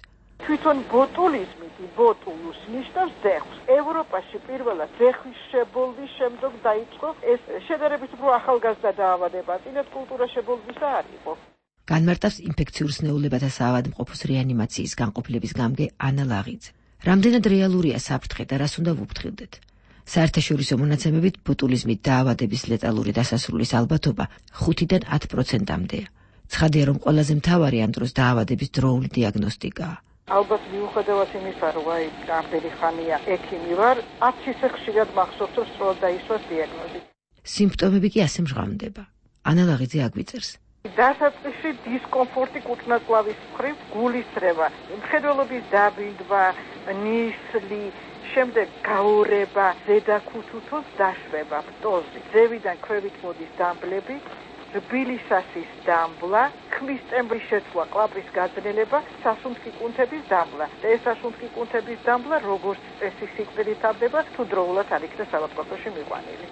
თვითონ ბოტულიზმი ბოტულუს ნიშნავს ზეხვს. ევროპაში პირველად ზეხვის შებოლვის შემდეგ დაიწყო ეს შედარებით უფრო ახალგაზრდა დაავადება, წინათ კულტურა შებოლვისა არ იყო. განმარტავს ინფექციურ სნეულებათა საავადმყოფოს რეანიმაციის განყოფილების გამგე ანა ლაღიძე. რამდენად რეალურია საფრთხე და რას უნდა ვუფრთხილდეთ? საერთაშორისო მონაცემებით ბოტულიზმით დაავადების ლეტალური დასასრულის ალბათობა ხუთიდან ათ პროცენტამდეა. ცხადია, რომ ყველაზე მთავარი ამ დროს დაავადების დროული დიაგნოსტიკაა. ალბათ მიუხედავად იმისა, რომ აი რამდენი ხანია ექიმი ვარ, ათ ისე ხშირად მახსოვს, რომ სწორად დაისვას დიაგნოზი. სიმპტომები კი ასე მჟღამდება. ანა ლაღიძე აგვიწერს. დასაწყისში დისკომფორტი კუთვნაწლავის მხრივ, გულისრევა, მხედველობის დაბინდვა, ნისლი, შემდეგ გაურება, ზედაქუთუთოს დაშვება, პტოზი, ზევიდან ქვევით მოდის დამბლები, რბილი სასის დამბლა, ქმის ტემბრის შეცვლა, კლაპრის გაძნელება, სასუნთქი კუნთების დამბლა. და ეს სასუნთქი კუნთების დამბლა როგორც წესი სიკვდილით ავდება, თუ დროულად არ იქნა საავადმყოფოში მიყვანილი.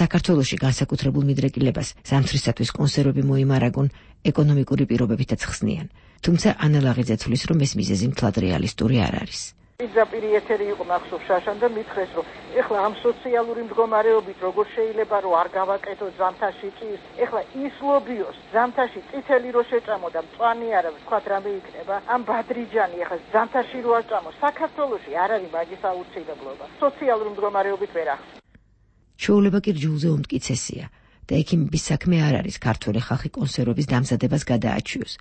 საქართველოში განსაკუთრებულ მიდრეკილებას ზამთრისათვის კონსერვები მოიმარაგონ ეკონომიკური პირობებითაც ხსნიან. თუმცა ანა ლაღიძე თვლის, რომ ეს მიზეზი მთლად რეალისტური არ არის. პირდაპირ ეთერი იყო მახსოვს შაშან და მითხრეს, რომ ეხლა ამ სოციალური მდგომარეობით როგორ შეიძლება რომ არ გავაკეთოთ ზამთარში ჭირს, ეხლა ის ლობიოს ზამთარში წითელი რო შეჭამო და მწვანე არა ვთქვათ რამე იქნება, ამ ბადრიჯანი ეხლა ზამთარში რო არ ჭამო, საქართველოში არ არის მაგის აუცილებლობა. სოციალური მდგომარეობით ვერ ახსოვს. ჩვეულება კი რჯულზე უმტკიცესია და ექიმების საქმე არ არის ქართველი ხალხი კონსერვების დამზადებას გადააჩიოს,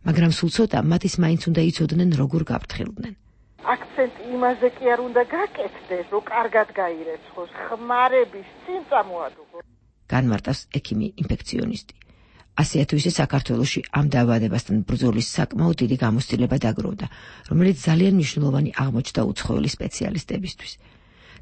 მაგრამ სულ ცოტა მათ ის მაინც უნდა იცოდნენ როგორ გაფრთხილდნენ. აქცენტი იმაზე კი არ უნდა გაკეთდეს, რომ კარგად გაირეცხოს, ხმარების წინ წამოადუღო. განმარტავს ექიმი ინფექციონისტი. ასე თუ ისე საქართველოში ამ დაავადებასთან ბრძოლის საკმაოდ დიდი გამოცდილება დაგროვდა, რომელიც ძალიან მნიშვნელოვანი აღმოჩნდა უცხოელი სპეციალისტებისთვის.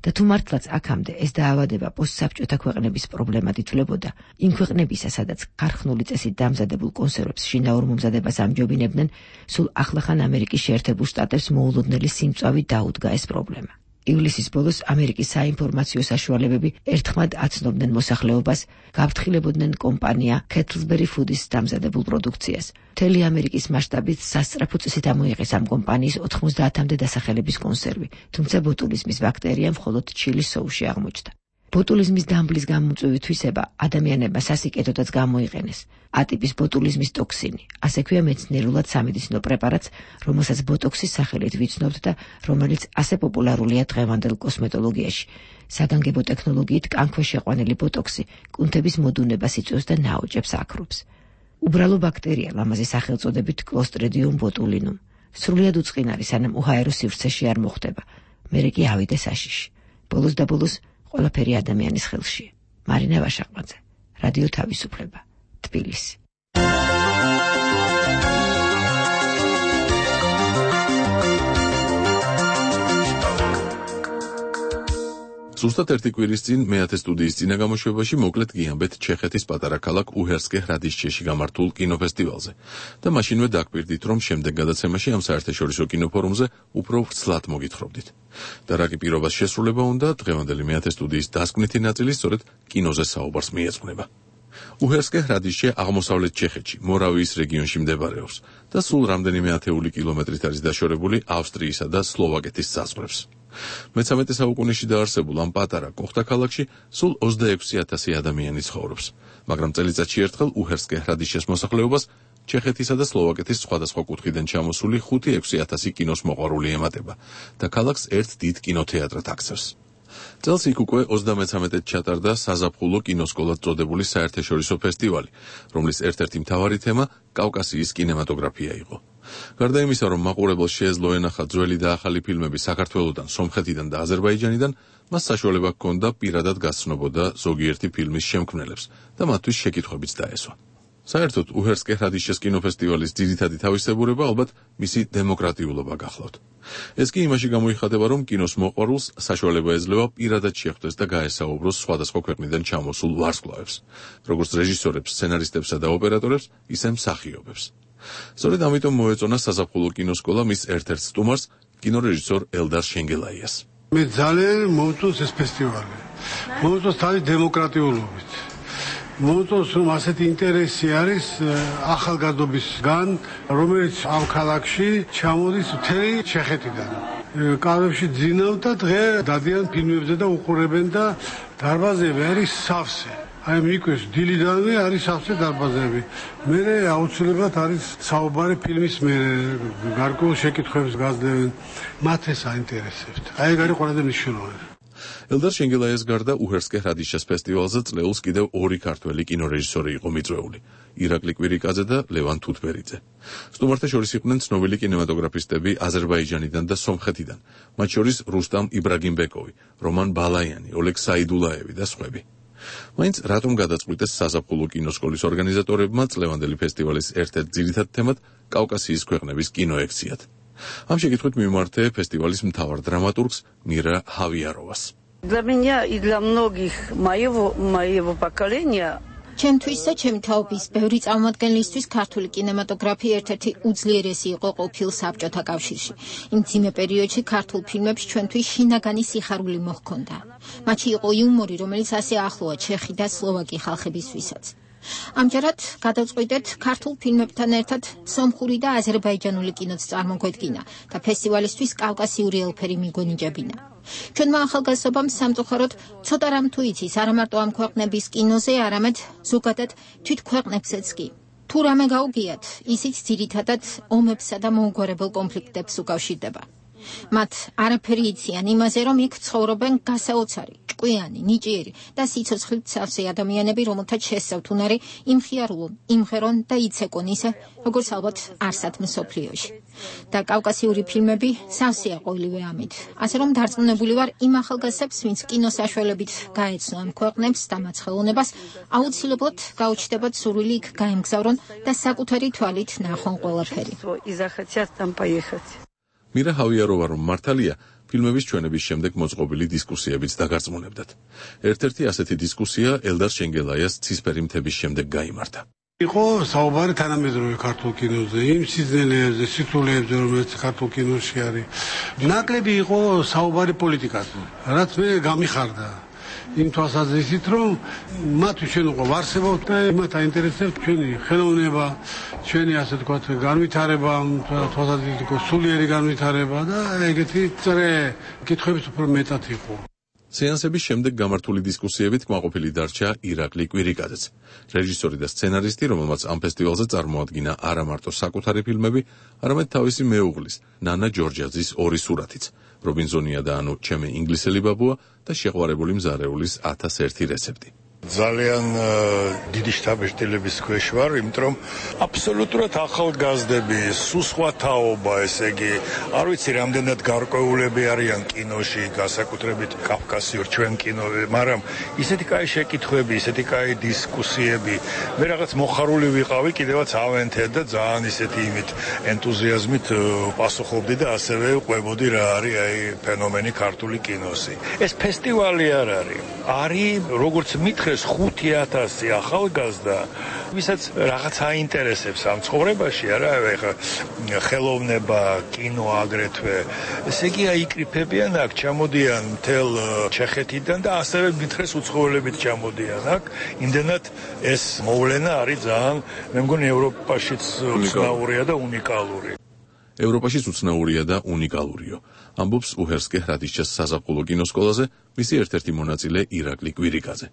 და თუ მართლაც აქამდე ეს დაავადება პოსტსაბჭოთა ქვეყნების პრობლემად ითვლებოდა, იმ ქვეყნებისა, სადაც ქარხნული წესით დამზადებულ კონსერვებს შინაურ მომზადებას ამჯობინებდნენ, სულ ახლახან ამერიკის შეერთებულ შტატებს მოულოდნელი სიმწვავი დაუდგა ეს პრობლემა. ივლისის ბოლოს ამერიკის საინფორმაციო საშუალებები ერთხმად აცნობდნენ მოსახლეობას, გაფრთხილებოდნენ კომპანია Kettlesbury Foods დამზადებულ პროდუქციას. მთელი ამერიკის მასშტაბით სასწრაფო წესით ამოიღეს ამ კომპანიის ოთხმოცდაათამდე დასახელების კონსერვი, თუმცა ბოტულიზმის ბაქტერია მხოლოდ ჩილის სოუსში აღმოჩნდა. ბოტულიზმის დამბლის გამომწვევი თვისება ადამიანებმა სასიკეთოდაც გამოიყენეს. ატიპის ბოტულიზმის ტოქსინი, ასე ქვია მეცნიერულად სამედიცინო პრეპარატს, რომელსაც ბოტოქსის სახელით ვიცნობთ და რომელიც ასე პოპულარულია დღევანდელ კოსმეტოლოგიაში. საგანგებო ტექნოლოგიით კანქვე შეყვანილი ბოტოქსი კუნთების მოდუნებას იწვევს და ნაოჭებს აქრობს. უბრალო ბაქტერია ლამაზი სახელწოდებით Clostridium botulinum. სრულიად უწყინარი, სანამ უჰაერო სივრცეში არ მოხვდება. მერე კი ავიდე საშიში. ბოლოს და ბოლოს ყველაფერი ადამიანის ხელში. მარინა ვაშაყმაძე, რადიო თავისუფლება, თბილისი. ზუსტად ერთი კვირის წინ მეათე სტუდიის წინა გამოშვებაში მოკლედ გიამბეთ ჩეხეთის პატარა ქალაქ უჰერსკე hradišćeში გამართულ კინოფესტივალზე და მაშინვე დაგკვირდით, რომ შემდეგ გადაცემაში ამ საერთაშორისო კინოფორუმზე უფრო ვრცლად მოგითხრობდით. და რა კი პირობას შესრულება უნდა, დღევანდელი მეათე სტუდიის დასკვნითი ნაწილი სწორედ კინოზე საუბარს მიეძღვნება. უჰერსკე hradišće აღმოსავლეთ ჩეხეთში, მორავიის რეგიონში მდებარეობს და სულ რამდენიმე ათეული კილომეტრით არის დაშორებული ავსტრიისა და სლოვაკეთის საზღვრებს. მეცამეტე საუკუნეში დაარსებულ ამ პატარა კოხთა ქალაქში სულ ოცდაექვსი ათასი ადამიანი ცხოვრობს, მაგრამ წელიწადში ერთხელ უჰერსკე hradišćes მოსახლეობას ჩეხეთისა და სლოვაკეთის სხვადასხვა კუთხიდან ჩამოსული ხუთი ექვსი ათასი კინოს მოყვარული ემატება და ქალაქს ერთ დიდ კინოთეატრად აქცევს. წელს იქ უკვე ოცდამეცამეტედ ჩატარდა საზაფხულო კინოსკოლად წოდებული საერთაშორისო ფესტივალი, რომლის ერთ-ერთი მთავარი თემა კავკასიის კინემატოგრაფია იყო. გარდა იმისა, რომ მაყურებელს შეეძლო ენახა ძველი და ახალი ფილმები საქართველოდან, სომხეთიდან და აზერბაიჯანიდან, მას საშუალება ჰქონდა პირადად გაცნობოდა ზოგიერთი ფილმის შემქმნელებს და მათთვის შეკითხვებიც დაესვა. საერთოდ უჰერსკე რადიშეს კინოფესტივალის ძირითადი თავისებურება ალბათ მისი დემოკრატიულობა გახლავთ. ეს კი იმაში გამოიხატება, რომ კინოს მოყვარულს საშუალება ეძლევა პირადად შეხვდეს და გაესაუბროს სხვადასხვა ქვეყნიდან ჩამოსულ ვარსკვლავებს, როგორც რეჟისორებს, სცენარისტებსა და ოპერატორებს, ისე მსახიობებს. სწორედ ამიტომ მოეწონა საზაფხულო კინოსკოლა მის ერთ-ერთ სტუმარს, კინორეჟისორ ელდარ შენგელაიას. მე ძალიან მოვწონს ეს ფესტივალი. მოვწონს თავის დემოკრატიულობით. მოვწონს, რომ ასეთი ინტერესი არის ახალგაზრდობისგან, რომელიც ამ ქალაქში ჩამოდის მთელი ჩეხეთიდან. კარებში ძინავ და დღე დადიან ფილმებზე და უყურებენ და დარბაზები არის სავსე. აი მიკვეს დილიდანვე არის სავსე დარბაზები. მე აუცილებლად არის საუბარი ფილმის მე გარკვეულ შეკითხვებს გაძლევენ. მათ ეს აინტერესებთ. აი ეგ არის ყველაზე მნიშვნელოვანი. ელდარ შენგელაიას გარდა უჰერსკე რადიშეს ფესტივალზე წლეულს კიდევ ორი ქართველი კინორეჟისორი იყო მიწვეული, ირაკლი კვირიკაძე და ლევან თუთბერიძე. სტუმართა შორის იყვნენ ცნობილი კინემატოგრაფისტები აზერბაიჯანიდან და სომხეთიდან, მათ შორის რუსტამ იბრაგიმბეკოვი, რომან ბალაიანი, ოლეგ საიდულაევი და სხვები. მაინც რატომ გადაწყვიტეს საზაფხულო კინოსკოლის ორგანიზატორებმა წლევანდელი ფესტივალის ერთ-ერთ ძირითად თემად კავკასიის ქვეყნების კინო ექციათ? ამ შეკითხვით მიმართე ფესტივალის მთავარ დრამატურგს მირა ჰავიაროვას. Для меня и для многих моего моего поколения ჩემთვის და ჩემი თაობის ბევრი წარმომადგენლისთვის ქართული კინემატოგრაფი ერთ-ერთი უძლიერესი იყო ყოფილ საბჭოთა კავშირში. იმ ძიმე პერიოდში ქართულ ფილმებს ჩვენთვის შინაგანი სიხარული მოჰქონდა. მათში იყო იუმორი, რომელიც ასე ახლოა ჩეხი და სლოვაკი ხალხებისთვისაც. ამჯერად გადავწყვიტეთ ქართულ ფილმებთან ერთად სომხური და აზერბაიჯანული კინოც წარმოგვედგინა და ფესტივალისთვის კავკასიური ელფერი მიგონიჭებინა. ჩვენმა ახალგაზრდობამ სამწუხაროდ ცოტა რამ თუ იცის არა მარტო ამ ქვეყნების კინოზე, არამედ ზოგადად თვით ქვეყნებზეც კი. თუ რამე გაუგიათ, ისიც ძირითადად ომებსა და მოუგვარებელ კონფლიქტებს უკავშირდება. მათ არაფერი იციან იმაზე, რომ იქ ცხოვრობენ გასაოცარი, ჭკვიანი, ნიჭიერი და სიცოცხლით სავსე ადამიანები, რომელთაც შესწავთ უნარი იმხიარულონ, იმღერონ და იცეკონ ისე, როგორც ალბათ არსად მსოფლიოში. და კავკასიური ფილმები სავსეა ყოველივე ამით. ასე რომ დარწმუნებული ვარ იმ ახალგაზრდებს, ვინც კინოსაშუალებით გაეცნო ამ ქვეყნებს და მათ ხელოვნებას, აუცილებლად გაუჩნდებათ სურვილი იქ გაემგზავრონ და საკუთარი თვალით ნახონ ყველაფერი. მირა ჰავიაროვა რომ მართალია, ფილმების ჩვენების შემდეგ მოწყობილი დისკუსიებიც დაგარწმუნებდათ. ერთ-ერთი ასეთი დისკუსია ელდარ შენგელაიას ცისფერი მთების შემდეგ გაიმართა. იყო საუბარი თანამედროვე ქართულ კინოზე, იმ სიძნელეებზე, სიტულებებზე, რომელიც ქართულ კინოში არის. ნაკლები იყო საუბარი პოლიტიკაზე, რაც მე გამიხარდა. იმ თვალსაზრისით, რომ მათ ჩვენ უკვე ვარსებობთ და მათ აინტერესებს ჩვენი ხელოვნება, ჩვენი ასე ვთქვათ, განვითარება, თვალსაზრისით იყო სულიერი განვითარება და ეგეთი წრე კითხვების უფრო მეტად იყო. სეანსების შემდეგ გამართული დისკუსიებით კმაყოფილი დარჩა ირაკლი კვირიკაძეც, რეჟისორი და სცენარისტი, რომელმაც ამ ფესტივალზე წარმოადგინა არა მარტო საკუთარი ფილმები, არამედ თავისი მეუღლის, ნანა ჯორჯაძის ორი სურათიც, რობინზონია და ანუ ჩემი ინგლისელი ბაბუა და შეყვარებული მზარეულის ათას ერთი რეცეპტი. ძალიან დიდი შთაბეჭდილების ქვეშ ვარ, იმიტომ რომ აბსოლუტურად ახალგაზრდები, სულ სხვა თაობა, ესე იგი, არ ვიცი რამდენად გარკვეულები არიან კინოში, განსაკუთრებით კავკასიურ ჩვენ კინოზე, მაგრამ ისეთი კაი შეკითხვები, ისეთი კაი დისკუსიები, მე რაღაც მოხარული ვიყავი, კიდევაც ავენთე და ძალიან ისეთი იმით ენთუზიაზმით პასუხობდი და ასევე ყვებოდი რა არის აი ფენომენი ქართული კინოსი. ეს ფესტივალი არ არის. არის როგორც მითხრეს ხუთი ათასი ახალგაზრდა, ვისაც რაღაც აინტერესებს ამ ცხოვრებაში, არა, ეხა ხელოვნება, კინო აგრეთვე. ესე იგი აიკრიფებიან აქ, ჩამოდიან მთელ ჩეხეთიდან და ასევე მითხრეს უცხოელებით ჩამოდიან აქ. იმდენად ეს მოვლენა არის ძალიან, მე მგონი ევროპაშიც უცნაურია და უნიკალური. ევროპაშიც უცნაურია და უნიკალურიო. ამბობს უჰერსკე რადიშეს საზაფხულო კინოსკოლაზე მისი ერთ-ერთი მონაწილე ირაკლი კვირიკაძე.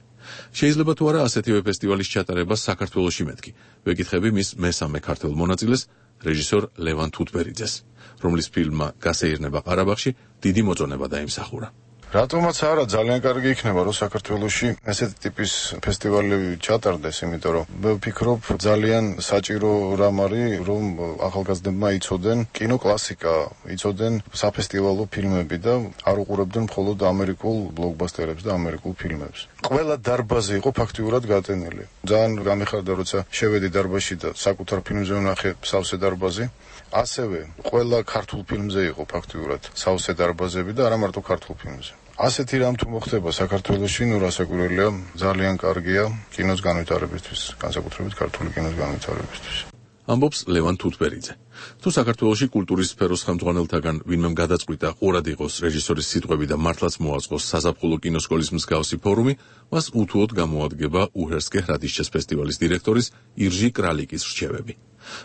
შეიძლება თუ არა ასეთივე ფესტივალის ჩატარება საქართველოში მეთქი. ვეკითხები მის მესამე ქართველ მონაწილეს, რეჟისორ ლევან თუთბერიძეს, რომლის ფილმმა გასეირნება ყარაბაღში დიდი მოწონება დაიმსახურა. რატომაც არა, ძალიან კარგი იქნება, რომ საქართველოში ესეთი ტიპის ფესტივალები ჩატარდეს, იმიტომ რომ მე ვფიქრობ, ძალიან საჭირო რამ არის, რომ ახალგაზრდებმა იცოდენ კინოკლასიკა, იცოდენ საფესტივალო ფილმები და არ უყურებდნენ მხოლოდ ამერიკულ ბლოკბასტერებს და ამერიკულ ფილმებს. ყველა დარბაზი იყო ფაქტიურად გატენილი. ძალიან გამიხარდა, როცა შევედი დარბაზში და საკუთარ ფილმზე ვნახე სავსე დარბაზი. ასევე ყველა ქართულ ფილმზე იყო ფაქტიურად სავსე დარბაზები და არა მარტო ქართულ ფილმზე. ასეთი რამ თუ მოხდება საქართველოში, ნუ რასაკვირველია, ძალიან კარგია კინოს განვითარებისთვის, განსაკუთრებით ქართული კინოს განვითარებისთვის. ამბობს ლევან თუთბერიძე. თუ საქართველოში კულტურის სფეროს ხელმძღვანელთაგან ვინმემ გადაწყვიტა ყურად იყოს რეჟისორის სიტყვები და მართლაც მოაწყოს საზაფხულო კინოსკოლის მსგავსი ფორუმი, მას უთუოდ გამოადგება უჰერსკე hradišćes ფესტივალის დირექტორის ირჟი კრალიკის რჩევები.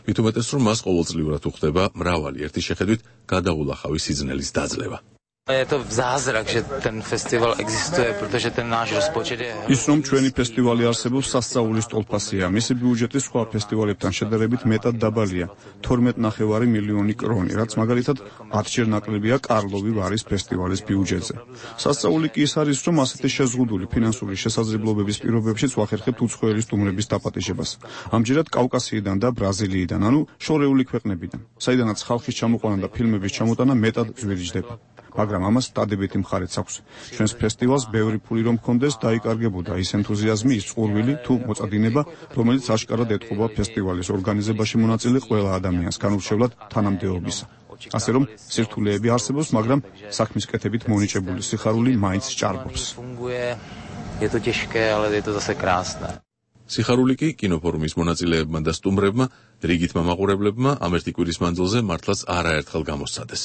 მით უმეტეს, რომ მას ყოველწლიურად უხდება მრავალი ერთი შეხედვით გადაულახავი სიძნელის დაძლევა. Это зазрак, что ten фестивал existuje, protože ten náš rozpočet je... ის რომ ჩვენი ფესტივალი არსებობს სასწაულის ტოლფასია, მისი ბიუჯეტი სხვა ფესტივალებთან შედარებით მეტად დაბალია, თორმეტ ნახევარი მილიონი კრონი, რაც მაგალითად ათჯერ ნაკლებია კარლოვი ვარის ფესტივალის ბიუჯეტზე. სასწაული კი ის არის, რომ ასეთი შეზღუდული ფინანსური შესაძლებლობების პირობებშიც ვახერხებთ უცხოელი სტუმრების დაპატიჟებას. ამჯერად კავკასიიდან და ბრაზილიიდან, ანუ შორეული ქვეყნებიდან, საიდანაც ხალხის ჩამოყვანა და ფილმების ჩამოტანა მეტად ზვირიჯდება. მაგრამ ამას დადებითი მხარეც აქვს. ჩვენს ფესტივალს ბევრი ფული რომ ჰქონდეს, დაიკარგებოდა ის ენთუზიაზმი, ის წყურვილი თუ მოწადინება, რომელიც აშკარად ეთყობა ფესტივალის ორგანიზებაში მონაწილე ყველა ადამიანს, განურჩევლად თანამდებობისა. ასე რომ სირთულეები არსებობს, მაგრამ საქმის კეთებით მონიჭებული სიხარული მაინც ჭარბობს. Je to těžké, ale je to zase krásné. სიხარული კი კინოფორუმის მონაწილეებმა და სტუმრებმა, რიგითმა მაყურებლებმა ამ ერთი კვირის მანძილზე მართლაც არაერთხელ გამოსცადეს.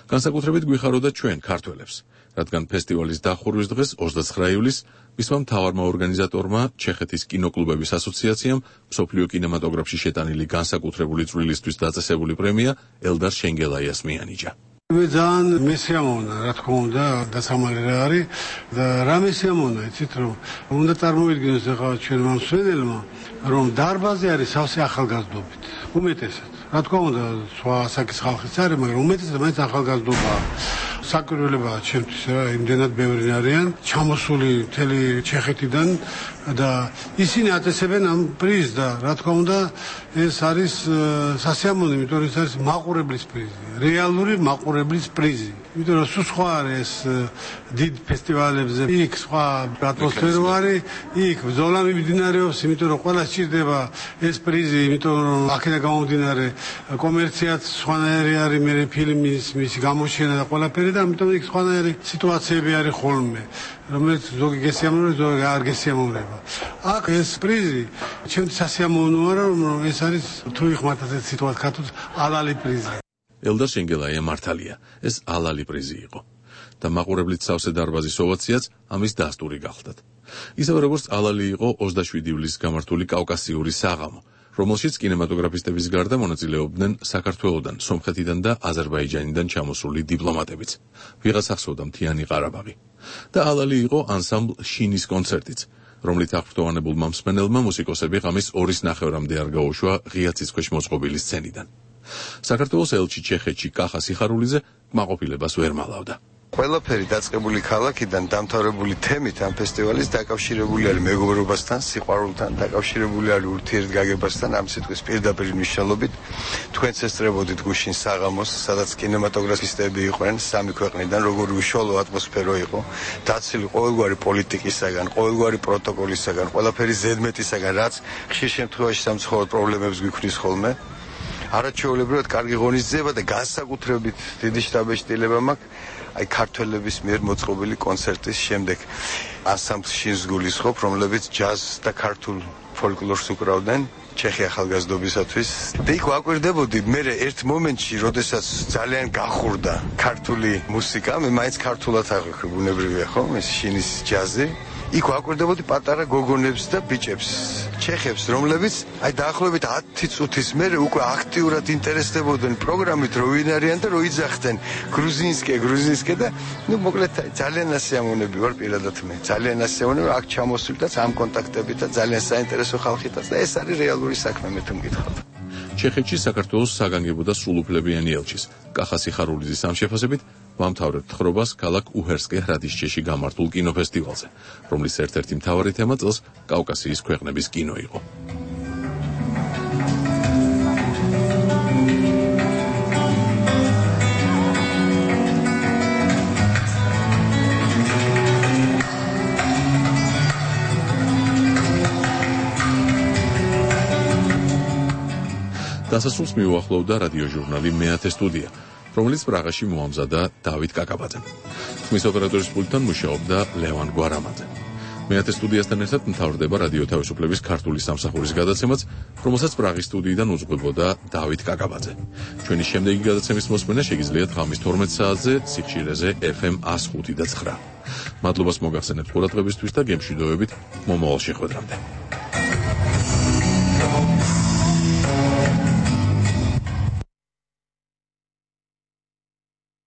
განსაკუთრებით გვიხაროდა ჩვენ ქართველებს, რადგან ფესტივალის დახურვის დღეს ოცდაცხრა ივლისს მისმა მთავარმა ორგანიზატორმა, ჩეხეთის კინოკლუბების ასოციაციამ, მსოფლიო კინემატოგრაფში შეტანილი განსაკუთრებული წვლილისთვის დაწესებული პრემია ელდარ შენგელაიას მიანიჭა. მე ძალიან მესიამოვნა, რა თქმა უნდა, დასამალი რა არის და რა მესიამოვნა, იცით რომ უნდა წარმოვიდგინოს ახლა ჩვენმა მსმენელმა, რომ დარბაზი არის სავსე ახალგაზრდობით. უმეტესად. რა თქმა უნდა, სხვა ასაკის ხალხიც არის, მაგრამ უმეტესად მაინც ახალგაზრდობაა. საკვირველებაა ჩემთვის რა, იმდენად ბევრი არიან, ჩამოსული მთელი ჩეხეთიდან და ისინი აწესებენ ამ პრიზს და რა თქმა უნდა, ეს არის სასიამოვნო, იმიტომ რომ ეს არის მაყურებლის პრიზი, რეალური მაყურებლის პრიზი. იმიტომ რომ სულ სხვა არის დიდ ფესტივალებზე, იქ სხვა ატმოსფერო არის, იქ ბრძოლა მიმდინარეობს, იმიტომ რომ ყველა სჭირდება ეს პრიზი, იმიტომ რომ აქედან გამომდინარე კომერციაც სხვანაირი არის, მე ფილმის მისი გამოჩენა და ყველაფერი და ამიტომ იქ სხვანაირი სიტუაციები არის ხოლმე, რომელიც ზოგი გესიამოვნებს, ზოგი არ გესიამოვნება. აქ ეს პრიზი ჩემთვის სასიამოვნოა, რომ ეს არის თუ იხმართ ასეთ სიტუაციას ქართულს ალალი პრიზი. ელდარ შენგელაია მართალია, ეს ალალი პრიზი იყო და მაყურებლით სავსე დარბაზის ოვაციაც ამის დასტური გახლდათ. ისევე როგორც ალალი იყო ოცდაშვიდი ივლისს გამართული კავკასიური საღამო, რომელშიც კინემატოგრაფისტების გარდა მონაწილეობდნენ საქართველოდან, სომხეთიდან და აზერბაიჯანიდან ჩამოსული დიპლომატებიც. ვიღაც ახსოვდა მთიანი ყარაბაღი. და ალალი იყო ანსამბლ შინის კონცერტიც, რომლით აღფრთოვანებულმა მსმენელმა მუსიკოსები ღამის ორის ნახევრამდე არ გაუშვა ღია ციცქვეშ მოწყობილი სცენიდან. საქართველოს ელჩი ჩეხეთში კახა სიხარულიძე კმაყოფილებას ვერ მალავდა. ყველაფერი დაწყებული ქალაქიდან დამთავრებული თემით ამ ფესტივალის დაკავშირებული არის მეგობრობასთან, სიყვარულთან, დაკავშირებული არის ურთიერთგაგებასთან, ამ სიტყვის პირდაპირ მნიშვნელობით. თქვენც ესწრებოდით გუშინ საღამოს, სადაც კინემატოგრაფისტები იყვნენ სამი ქვეყნიდან, როგორი უშუალო ატმოსფერო იყო, დაცილი ყოველგვარი პოლიტიკისაგან, ყოველგვარი პროტოკოლისაგან, ყველაფერი ზედმეტისაგან, რაც ხშირ შემთხვევაში სამცხოვრებლო პრობლემებს გვიქმნის ხოლმე. არაჩვეულებრივად კარგი ღონისძიება და განსაკუთრებით დიდი შთაბეჭდილება მაქვს აი ქართველების მიერ მოწყობილი კონცერტის შემდეგ ანსამბლ შინს გულისხმობ, რომლებიც ჯაზს და ქართულ ფოლკლორს უკრავდნენ ჩეხი ახალგაზრდობისათვის. და იქ ვაკვირდებოდი, მე ერთ მომენტში, როდესაც ძალიან გახურდა ქართული მუსიკა, მე მაინც ქართულად აღვიქვი, ბუნებრივია ხო, ეს შინის ჯაზი. იქ ვაკვირდებოდი პატარა გოგონებს და ბიჭებს, ჩეხებს, რომლებიც აი დაახლოებით ათი წუთის მერე უკვე აქტიურად ინტერესდებოდნენ პროგრამით, რო ვინ არიან და რო იძახდნენ გრუზინსკე, გრუზინსკე და ნუ მოკლედ ძალიან ასიამოვნები ვარ პირადად მე. ძალიან ასიამოვნები აქ ჩამოსვლითაც, ამ კონტაქტებითაც, ძალიან საინტერესო ხალხითაც და ეს არის რეალური საქმე მე თუ მკითხავთ. ჩეხეთში საქართველოს საგანგებო და სრულუფლებიანი ელჩის კახა სიხარულიძის ამ შეფასებით ვამთავრებთ თხრობას ქალაქ უჰერსკე რადიშჩეში გამართულ კინოფესტივალზე, რომლის ერთ-ერთი მთავარი თემა წელს კავკასიის ქვეყნების კინო იყო. დასასრულს მიუახლოვდა რადიოჟურნალი მეათე სტუდია, რომელიც პრაღაში მოამზადა დავით კაკაბაძემ. ხმის ოპერატორის პულტთან მუშაობდა ლევან გვარამაძე. მეათე სტუდიასთან ერთად მთავრდება რადიო თავისუფლების ქართული სამსახურის გადაცემაც, რომელსაც პრაღის სტუდიიდან უძღვებოდა დავით კაკაბაძე. ჩვენი შემდეგი გადაცემის მოსმენა შეგიძლიათ ღამის თორმეტ საათზე სიხშირეზე ეფ ემ εκατს ხუთი და ცხრა. მადლობას მოგახსენებთ ყურადღებისთვის და გემშვიდობებით მომავალ შეხვედრამდე.